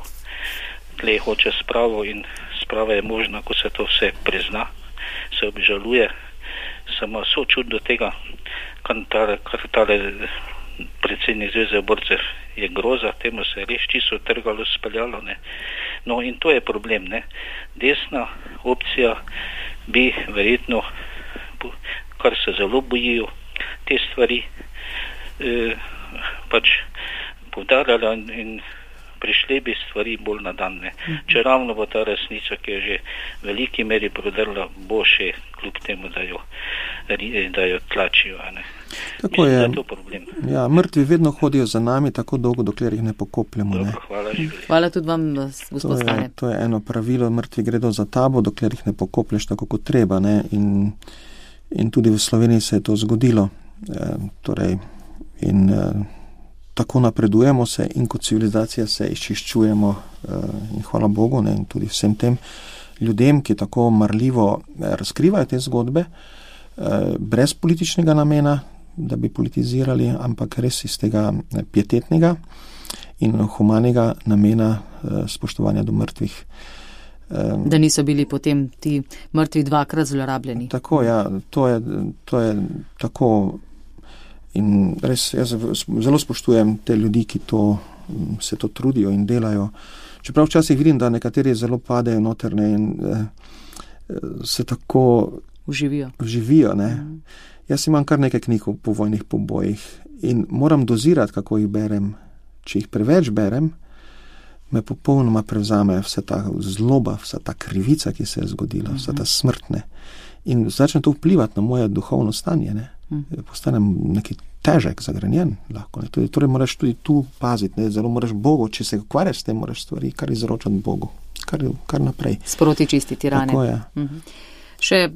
tle hoče spravo in sprava je možna, ko se to vse prizna, se obžaluje, samo sočut do tega, kar tale predsednik Zveze borcev je groza, temu se je res čisto trgalo, speljalo, ne. No in to je problem, ne. Desna opcija bi verjetno, kar se zelo bojijo, te stvari pač poudarjala in prišli bi stvari bolj na dan, ne. Če ravno bo ta resnica, ki je že v veliki meri prodrla, bo še kljub temu, da jo tlačijo, ne. Tako mislim, je. da je to problem. Ja, mrtvi vedno hodijo za nami tako dolgo, dokler jih ne pokopljemo. Dobro, Ne. hvala, živeli. Hvala tudi vam, gospod Stane. To je eno pravilo, mrtvi gredo za tabo, dokler jih ne pokoplješ tako kot treba. Ne. In tudi v Sloveniji se je to zgodilo. Tako napredujemo se in kot civilizacija se izčiščujemo in hvala Bogu, ne, in tudi vsem tem ljudem, ki tako marljivo razkrivajo te zgodbe, brez političnega namena, da bi politizirali, ampak res iz tega pietetnega in humanega namena spoštovanja do mrtvih. Da niso bili potem ti mrtvi dvakrat zlorabljeni. Tako, ja, to je tako. In res, jaz zelo spoštujem te ljudi, ki se to trudijo in delajo. Čeprav včasih vidim, da nekateri zelo padejo noterne in se tako vživijo. Ne. Jaz imam kar nekaj knjig o povojnih pobojih in moram dozirati, kako jih berem. Če jih preveč berem, me popolnoma prevzame vsa ta zloba, vsa ta krivica, ki se je zgodila, vsa ta smrtne. In začne to vplivati na moje duhovno stanje, ne. Postanem neki težek, zagrenjen lahko. Ne. Torej moraš tudi tu paziti, ne. Zelo moraš Bogu, če se ukvarjaš s tem, moraš stvari kar izročati Bogu, kar naprej. Sproti čistiti rane. Tako je. Še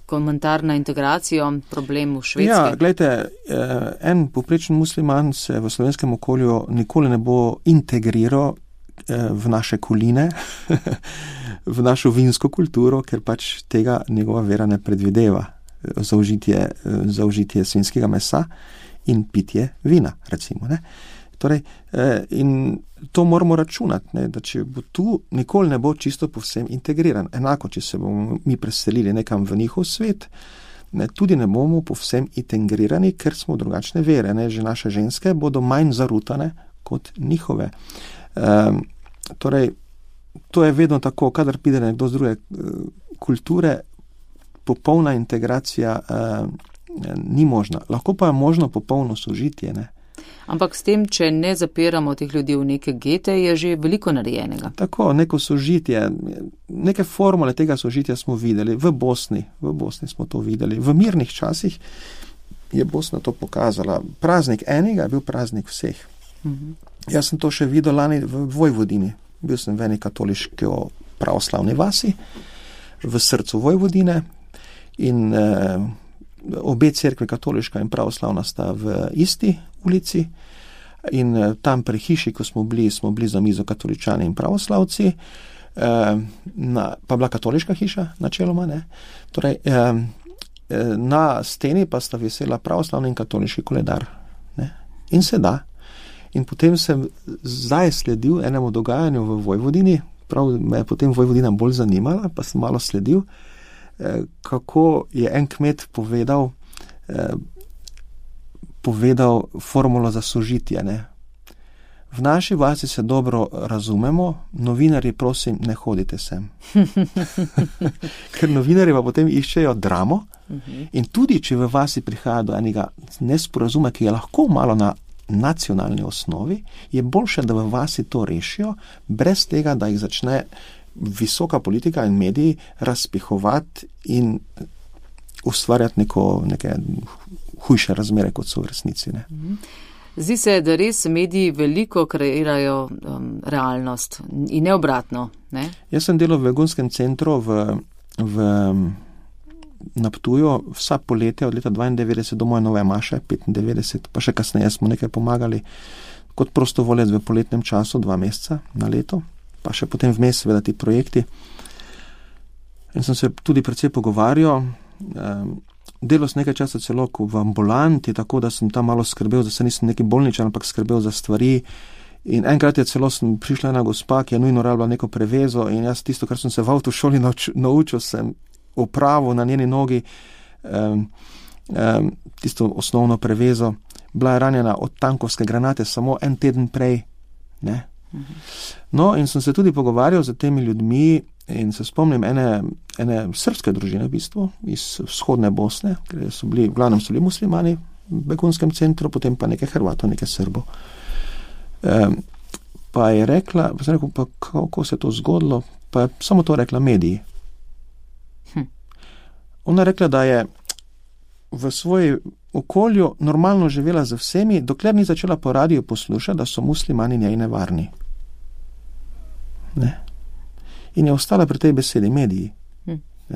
komentar na integracijo, problem v Švedske. Ja, glejte, en povprečen musliman se v slovenskem okolju nikoli ne bo integriral v naše koline, v našo vinsko kulturo, ker pač tega njegova vera ne predvideva. Zaužitje svinjskega mesa in pitje vina, recimo. Ne? Torej, in to moramo računati, ne? Da če bo tu, nikoli ne bo čisto povsem integriran. Enako, če se bomo mi preselili nekam v njihov svet, ne, tudi ne bomo povsem integrirani, ker smo drugačne vere. Ne? Že naše ženske bodo manj zarutane kot njihove. Torej, to je vedno tako, kadar pride nekdo z druge kulture, popolna integracija ni možna. Lahko pa je možno popolno sožitje. Ne? Ampak s tem, če ne zapiramo teh ljudi v neke gete, je že veliko narejenega. Tako, neko sožitje, neke formule tega sožitja smo videli v Bosni smo to videli. V mirnih časih je Bosna to pokazala. Praznik enega je bil praznik vseh. Jaz sem to še videl lani v Vojvodini. Bil sem v eni katoliški pravoslavni vasi, v srcu Vojvodine in obe cerkve, katoliška in pravoslavna, sta v isti ulici in tam pri hiši, ko smo bili za mizo katoličani in pravoslavci, pa bila katoliška hiša načeloma, ne. Torej, na steni pa sta visela pravoslavni in katoliški koledar. Ne. In se da. In potem sem zdaj sledil enemu dogajanju v Vojvodini, prav me je potem Vojvodina bolj zanimala, pa sem malo sledil, kako je en kmet povedal formulo za sožitje. Ne. V naši vasi se dobro razumemo, novinarji, prosim, ne hodite sem. Ker novinarji pa potem iščejo dramo in tudi, če v vasi prihaja do enega nesporazuma, ki je lahko malo na nacionalni osnovi, je boljše, da v vasi to rešijo, brez tega, da jih začne visoka politika in mediji razpihovati in ustvarjati neke hujše razmere, kot so v resnici. Ne. Zdi se, da res mediji veliko kreirajo realnost in ne obratno. Ne? Jaz sem delal v begunskem centru na Ptuju vsa poletja od leta 92 do moje nove maše, 95, pa še kasneje smo nekaj pomagali kot prostovoljec v poletnem času, 2 meseca na leto, pa še potem vmes seveda ti projekti. In sem se tudi precej pogovarjal. delal sem nekaj časa celo v ambulanti, tako da sem tam malo skrbel, da se nisem neki bolničar, ampak skrbel za stvari. In enkrat je celo prišla ena gospa, ki je nujno rabila neko prevezo in jaz tisto, kar sem se v avtošoli naučil, sem opravil na njeni nogi tisto osnovno prevezo. Bila je ranjena od tankovske granate samo en teden prej. Ne? No, in sem se tudi pogovarjal z temi ljudmi in se spomnim ene srpske družine v bistvu iz vzhodne Bosne, ker so bili, v glavnem so bili muslimani v begunskem centru, potem pa nekaj Hrvatov, nekaj Srbov. Pa je rekla, pa sem rekel, pa kako se je to zgodilo, pa je samo to rekla mediji. Ona je rekla, da je v svoji okolju normalno živela z vsemi, dokler ni začela po radiju poslušati, da so muslimani njej nevarni. Ne? In je ostala pri tej besedi mediji.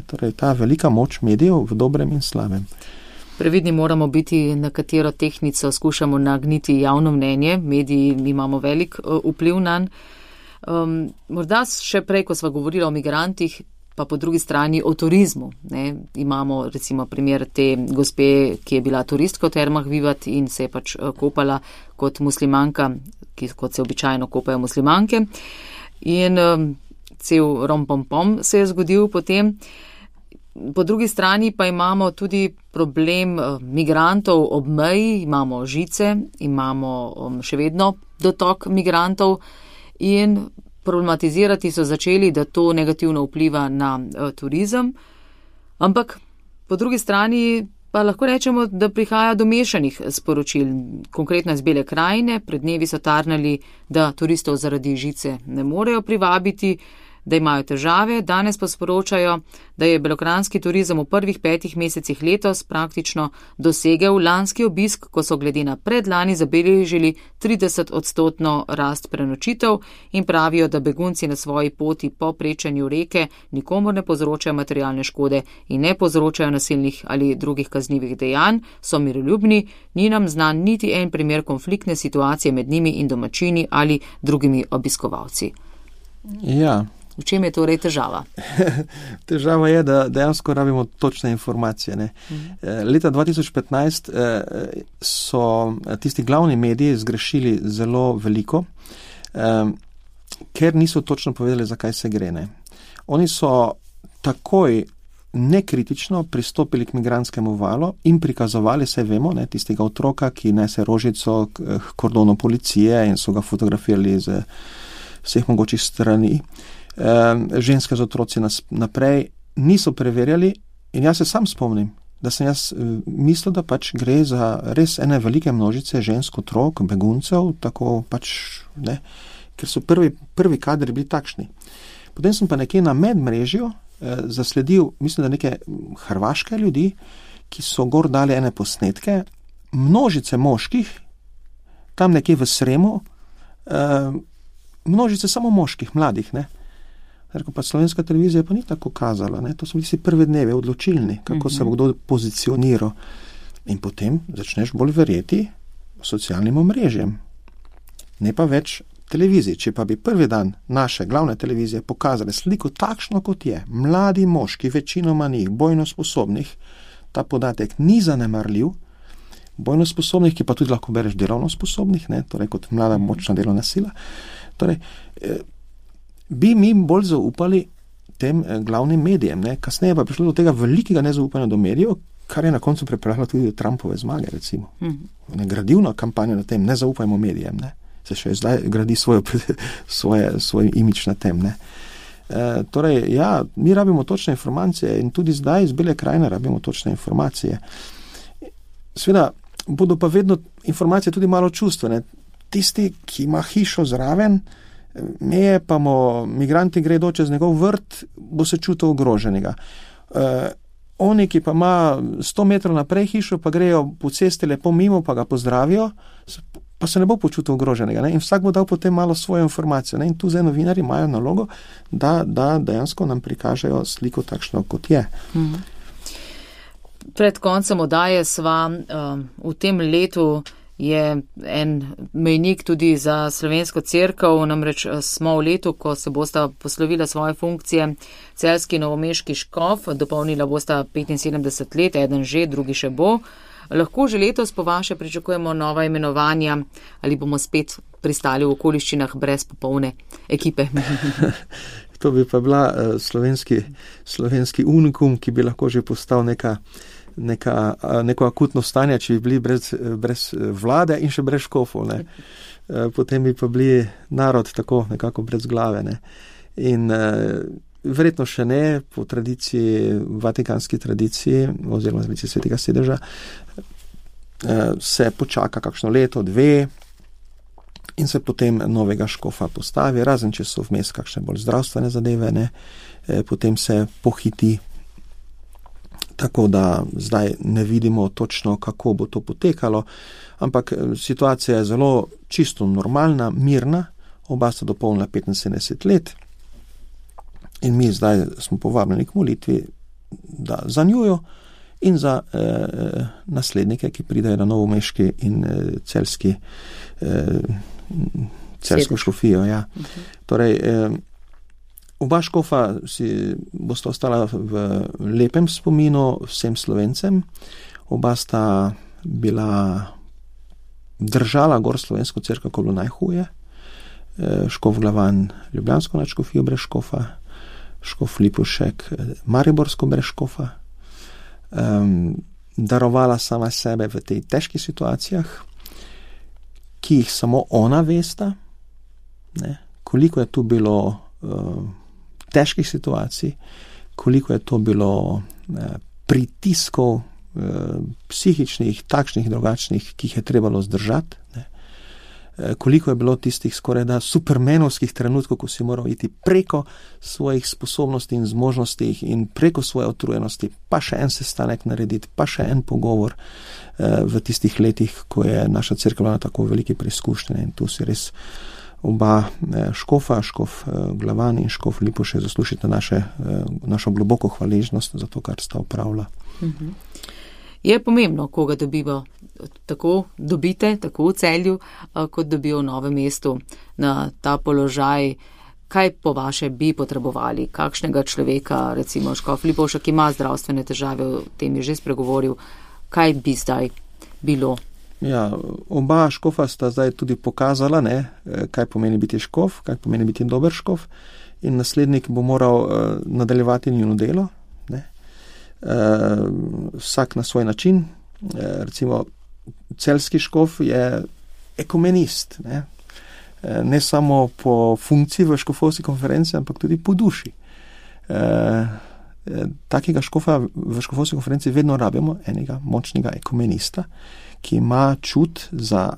Torej, ta velika moč medijev v dobrem in slabem. Previdni moramo biti, na katero tehnico skušamo nagniti javno mnenje. Mediji imamo velik vpliv nanj. Morda še prej, ko sva govorila o migrantih, pa po drugi strani o turizmu. Ne? Imamo recimo primer te gospe, ki je bila turistka v Termah Vivat in se je pač kopala kot muslimanka, kot se običajno kopajo muslimanke. In cel rompompom se je zgodil potem. Po drugi strani pa imamo tudi problem migrantov ob meji, imamo žice, imamo še vedno dotok migrantov in problematizirati so začeli, da to negativno vpliva na turizem, ampak po drugi strani pa lahko rečemo, da prihaja do mešanih sporočil. Konkretno iz Bele krajine, pred dnevi so tarnali, da turistov zaradi žice ne morejo privabiti, da imajo težave, danes pa sporočajo, da je belokranjski turizem v prvih 5 mesecih letos praktično dosegel lanski obisk, ko so glede na predlani zabeležili 30% rast prenočitev in pravijo, da begunci na svoji poti po prečanju reke nikomor ne povzročajo materialne škode in ne povzročajo nasilnih ali drugih kaznivih dejanj, so miroljubni, ni nam znan niti en primer konfliktne situacije med njimi in domačini ali drugimi obiskovalci. Ja. V čem je torej težava? Težava je, da dejansko rabimo točne informacije. Ne? Leta 2015 so tisti glavni mediji zgrešili zelo veliko, ker niso točno povedali, zakaj se gre. Ne? Oni so takoj nekritično pristopili k migranskemu valu in prikazovali, saj vemo, ne, tistega otroka, ki nese rožico k kordonu policije in so ga fotografirali z vseh mogočih strani. Ženske z otroci naprej niso preverjali in jaz se sam spomnim, da sem jaz mislil, da pač gre za res ene velike množice žensk, otrok, beguncev, tako pač, ne, ker so prvi kadri bili takšni. Potem sem pa nekje na medmrežju zasledil, mislim, da neke hrvaške ljudi, ki so gor dali ene posnetke, množice moških, tam nekje v Sremu, množice samo moških, mladih, ne. Rekel pa slovenska televizija pa ni tako kazala, ne? To so bili prve dneve odločilni, kako se bo kdo pozicioniral. In potem začneš bolj verjeti socialnim omrežjem, ne pa več televiziji. Če pa bi prvi dan naše glavne televizije pokazale sliko takšno, kot je, mladi moški, večinoma njih, bojno sposobnih, ta podatek ni zanemarljiv, bojno sposobnih, ki pa tudi lahko bereš delovno sposobnih, ne? Torej kot mlada močna delovna sila, torej bi mi bolj zaupali tem glavnim medijem. Ne? Kasneje pa je prišlo do tega velikega nezaupanja do medijev, kar je na koncu pripeljalo tudi do Trumpove zmage, recimo. Gradivna kampanja na tem, ne zaupajmo medijem. Ne? Se še zdaj gradi svoj imič na tem. Ne? Torej, ja, mi rabimo točne informacije in tudi zdaj iz Bele krajine rabimo točne informacije. Seveda, bodo pa vedno informacije tudi malo čustvene. Tisti, ki ima hišo zraven, meje pa migranti gredo čez njegov vrt, bo se čutil ogroženega. Oni, ki pa ima 100 metrov naprej hišo, pa grejo po cesti lepo mimo, pa ga pozdravijo, pa se ne bo počutil ogroženega. Ne? In vsak bo dal potem malo svojo informacijo. Ne? In tu zdaj novinari imajo nalogo, da dejansko nam prikažejo sliko takšno, kot je. Pred koncem oddaje sva v tem letu je en mejnik tudi za slovensko cerkev, namreč smo v letu, ko se bosta poslovila svoje funkcije celjski in novomeški škof, dopolnila bosta 75 let, eden že, drugi še bo. Lahko že letos po vaše pričakujemo nova imenovanja ali bomo spet pristali v okoliščinah brez popolne ekipe? To bi pa bila slovenski unikum, ki bi lahko že postal neko akutno stanje, če bi bili brez vlade in še brez škofov. Ne. Potem bi pa bili narod tako nekako brez glave. Ne. In verjetno še ne, po tradiciji, vatikanski tradiciji, oziroma tradiciji Svetega sedeža, se počaka kakšno leto, 2 in se potem novega škofa postavi, razen če so vmes kakšne bolj zdravstvene zadeve, ne, potem se pohiti. Tako da zdaj ne vidimo točno, kako bo to potekalo, ampak situacija je zelo čisto normalna, mirna, oba sta dopolnila 75 let in mi zdaj smo povabljeni k molitvi za njujo in za naslednike, ki pridajo na novomeški in celjsko škofijo. Ja. Torej, oba škofa bosta ostala v lepem spominu vsem Slovencem. Oba sta držala gor slovensko cerkev, ko bilo najhuje. Škof Glavan ljubljansko nadškofijo brez škofa, škof Lipušek mariborsko brez škofa. Darovala sama sebe v tej težkih situacijah, ki jih samo ona vesta, ne, koliko je tu bilo težkih situacij, koliko je to bilo pritiskov psihičnih, takšnih, drugačnih, ki jih je trebalo zdržati, ne. Koliko je bilo tistih skorajda supermenovskih trenutkov, ko si moral iti preko svojih sposobnosti in zmožnosti in preko svoje utrujenosti, pa še en sestanek narediti, pa še en pogovor v tistih letih, ko je naša cerkev na tako veliki preizkušnji. In tu si res oba škofa, škof Glavan in škof Lipušek zaslužite našo globoko hvaležnost za to, kar sta opravila. Je pomembno, koga dobite tako v Celju, kot dobijo v Novem mestu na ta položaj. Kaj po vaše bi potrebovali? Kakšnega človeka, recimo škof Lipušek, ki ima zdravstvene težave, o tem je že spregovoril, kaj bi zdaj bilo? Ja, oba škofa sta zdaj tudi pokazala, ne, kaj pomeni biti škof, kaj pomeni biti dober škof, in naslednik bo moral nadaljevati njuno delo, ne. Vsak na svoj način. Recimo celjski škof je ekumenist, ne samo po funkciji v škofovski konferenci, ampak tudi po duši. Takega škofa v škofovski konferenci vedno rabimo, enega močnega ekumenista, ki ima čut za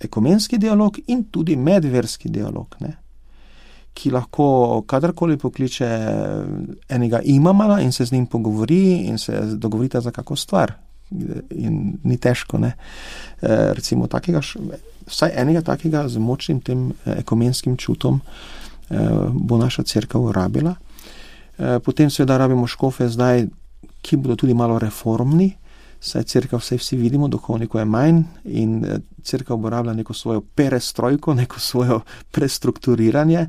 ekumenski dialog in tudi medverski dialog, ne, ki lahko kadarkoli pokliče enega imamana in se z njim pogovori in se dogovorita za kako stvar. In ni težko, ne. Recimo vsaj enega takega z močnim tem ekumenskim čutom bo naša cerkev rabila. Potem seveda rabimo škofe zdaj, ki bodo tudi malo reformni, saj cerkev vsi vidimo, duhovnikov je manj in cerkev bo rabila neko svojo perestrojko, neko svojo prestrukturiranje,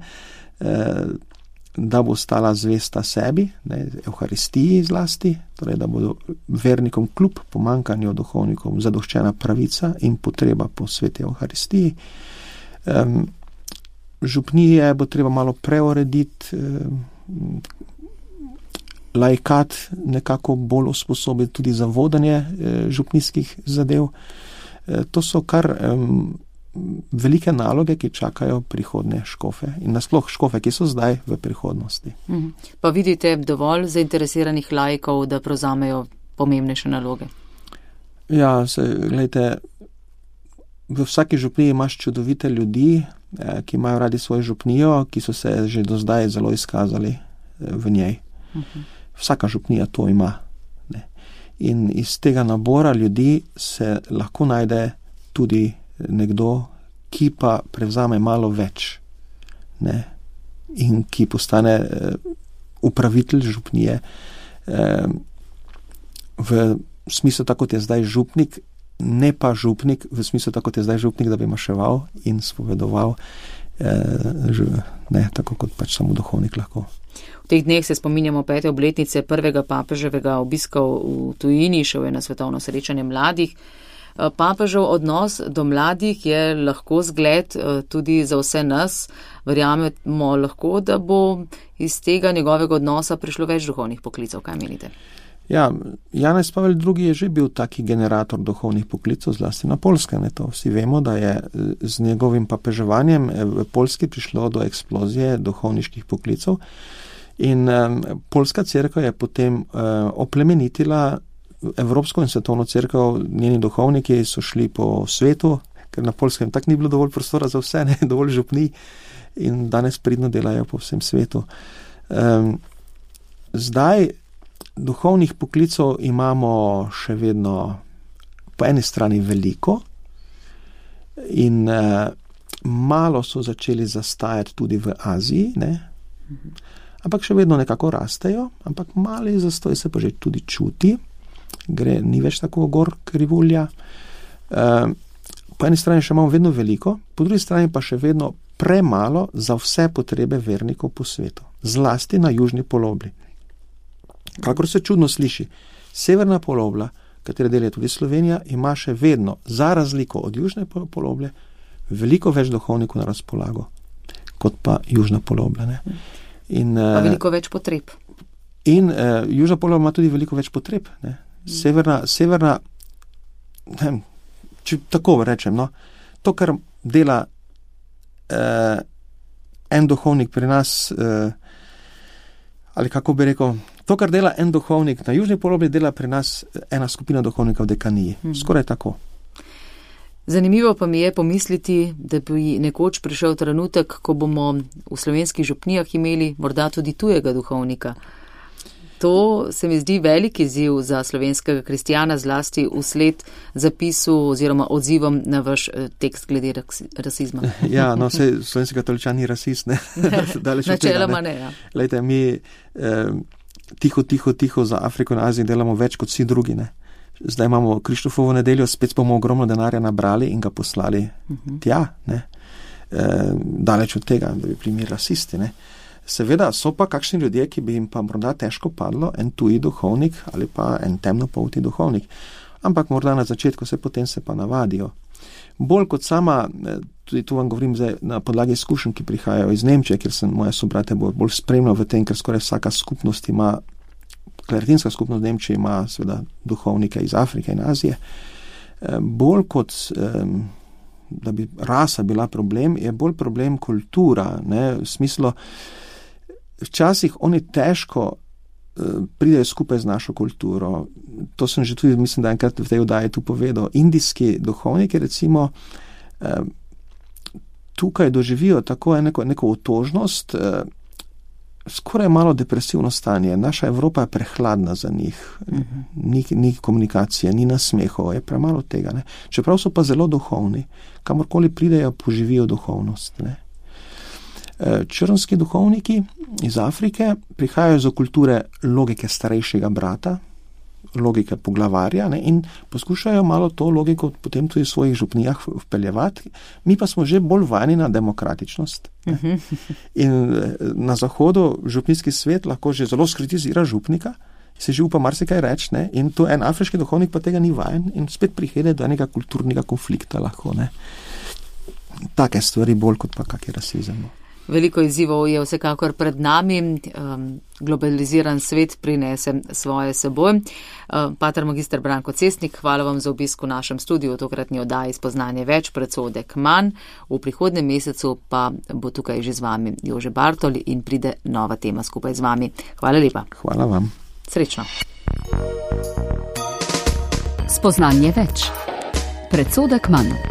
da bo stala zvesta sebi, ne, Evharistiji zlasti, torej da bodo vernikom kljub pomankanju duhovnikov zadoščena pravica in potreba po sveti Evharistiji. Župnije bo treba malo preurediti, laikat nekako bolj usposobiti tudi za vodenje župnijskih zadev. To so kar velike naloge, ki čakajo prihodne škofe in nasploh škofe, ki so zdaj v prihodnosti. Pa vidite dovolj zainteresiranih laikov, da prevzamejo pomembnejše naloge? Ja, gledajte, v vsaki župniji imaš čudovite ljudi, ki imajo radi svojo župnijo, ki so se že do zdaj zelo izkazali v njej. Vsaka župnija to ima. Ne. In iz tega nabora ljudi se lahko najde tudi nekdo, ki pa prevzame malo več, ne, in ki postane upravitelj župnije v smislu, tako kot je zdaj župnik, ne pa župnik, v smislu tako, kot je zdaj župnik, da bi maševal in spovedoval, ne, tako kot pač samo duhovnik lahko. V teh dneh se spominjamo 5. obletnice prvega papeževega obiska v tujini, šel je na svetovno srečanje mladih. Papežev odnos do mladih je lahko zgled tudi za vse nas. Verjamemo lahko, da bo iz tega njegovega odnosa prišlo več duhovnih poklicev. Kaj menite? Ja, Janez Pavel II. Je že bil taki generator duhovnih poklicov, zlasti na Poljskem. To vsi vemo, da je z njegovim papeževanjem v Poljski prišlo do eksplozije duhovniških poklicov in Poljska cerkev je potem oplemenitila Evropsko in svetovno cerkev. Njeni duhovniki so šli po svetu, ker na Poljskem tak ni bilo dovolj prostora za vse, ne, dovolj župni in danes pridno delajo po vsem svetu. Zdaj duhovnih poklicov imamo še vedno po eni strani veliko in malo so začeli zastajati tudi v Aziji, ne? Ampak še vedno nekako rastejo, ampak mali zastoj se pa že tudi čuti, ni več tako gor krivulja. Po eni strani še imamo vedno veliko, po drugi strani pa še vedno premalo za vse potrebe vernikov po svetu, zlasti na južni polobli. Kakor se čudno sliši, severna polobla, katere del je tudi Slovenija, ima še vedno, za razliko od južne poloble, veliko več duhovnikov na razpolago, kot pa južna polobla. Ne? Pa veliko več potreb. In južna polobla ima tudi veliko več potreb. Ne? Severna, ne, če tako rečem, no, to, kar dela en duhovnik pri nas, ali kako bi rekel, to, kar dela en duhovnik na južni polobli, dela pri nas ena skupina duhovnika v dekaniji. Skoraj tako. Zanimivo pa mi je pomisliti, da bi nekoč prišel trenutek, ko bomo v slovenskih župnijah imeli morda tudi tujega duhovnika. To se mi zdi velik izziv za slovenskega kristjana, zlasti vsled zapisu oziroma odzivom na vaš tekst glede rasizma. Ja, no, vse slovenski katoličan ni rasist, ne? Načeloma ne, ja. Lejte, mi tiho za Afriko in Azijo delamo več kot vsi drugi, ne? Zdaj imamo Krištofovo nedeljo, spet bomo ogromno denarja nabrali in ga poslali tja, ne? Daleč od tega, da bi bili rasisti, ne? Seveda so pa kakšni ljudje, ki bi jim pa morda težko padlo en tuji duhovnik ali pa en temnopolti duhovnik. Ampak morda na začetku potem se pa navadijo. Bolj kot sama, tudi tu vam govorim zdaj na podlagi izkušenj, ki prihajajo iz Nemčije, ker sem moje sobrate bolj spremljal v tem, ker skoraj vsaka skupnost ima, kleritinska skupnost v Nemčiji ima seveda duhovnike iz Afrike in Azije. Bolj kot da bi rasa bila problem, je bolj problem kultura, ne, v smislu, včasih oni težko pridejo skupaj z našo kulturo. To sem že tudi, mislim, da enkrat v tej oddaji tu povedal. Indijski duhovniki, recimo, tukaj doživijo tako neko otožnost, skoraj malo depresivno stanje. Naša Evropa je prehladna za njih. Ni komunikacije, ni nasmehov, je premalo tega. Ne. Čeprav so pa zelo duhovni, kamorkoli pridejo, poživijo duhovnost. Ne. Črnski duhovniki iz Afrike prihajajo iz kulture logike starejšega brata, logike poglavarja, ne, in poskušajo malo to logiko potem tudi v svojih župnijah vpeljevati. Mi pa smo že bolj vajeni na demokratičnost. In na Zahodu župnijski svet lahko že zelo skritizira župnika, se že upa marsikaj reči, ne, in to en afriški duhovnik pa tega ni vajen in spet prihede do enega kulturnega konflikta lahko. Ne. Take stvari bolj kot pa kak je rasizem. Veliko izzivov je vsekakor pred nami, globaliziran svet prinese svoje seboj. Pater magister Branko Cestnik, hvala vam za obisk v našem studiu, tokratni oddaji Spoznanje več, predsodek manj. V prihodnjem mesecu pa bo tukaj že z vami Jože Bartol in pride nova tema skupaj z vami. Hvala lepa. Hvala vam. Srečno. Spoznanje več, predsodek manj.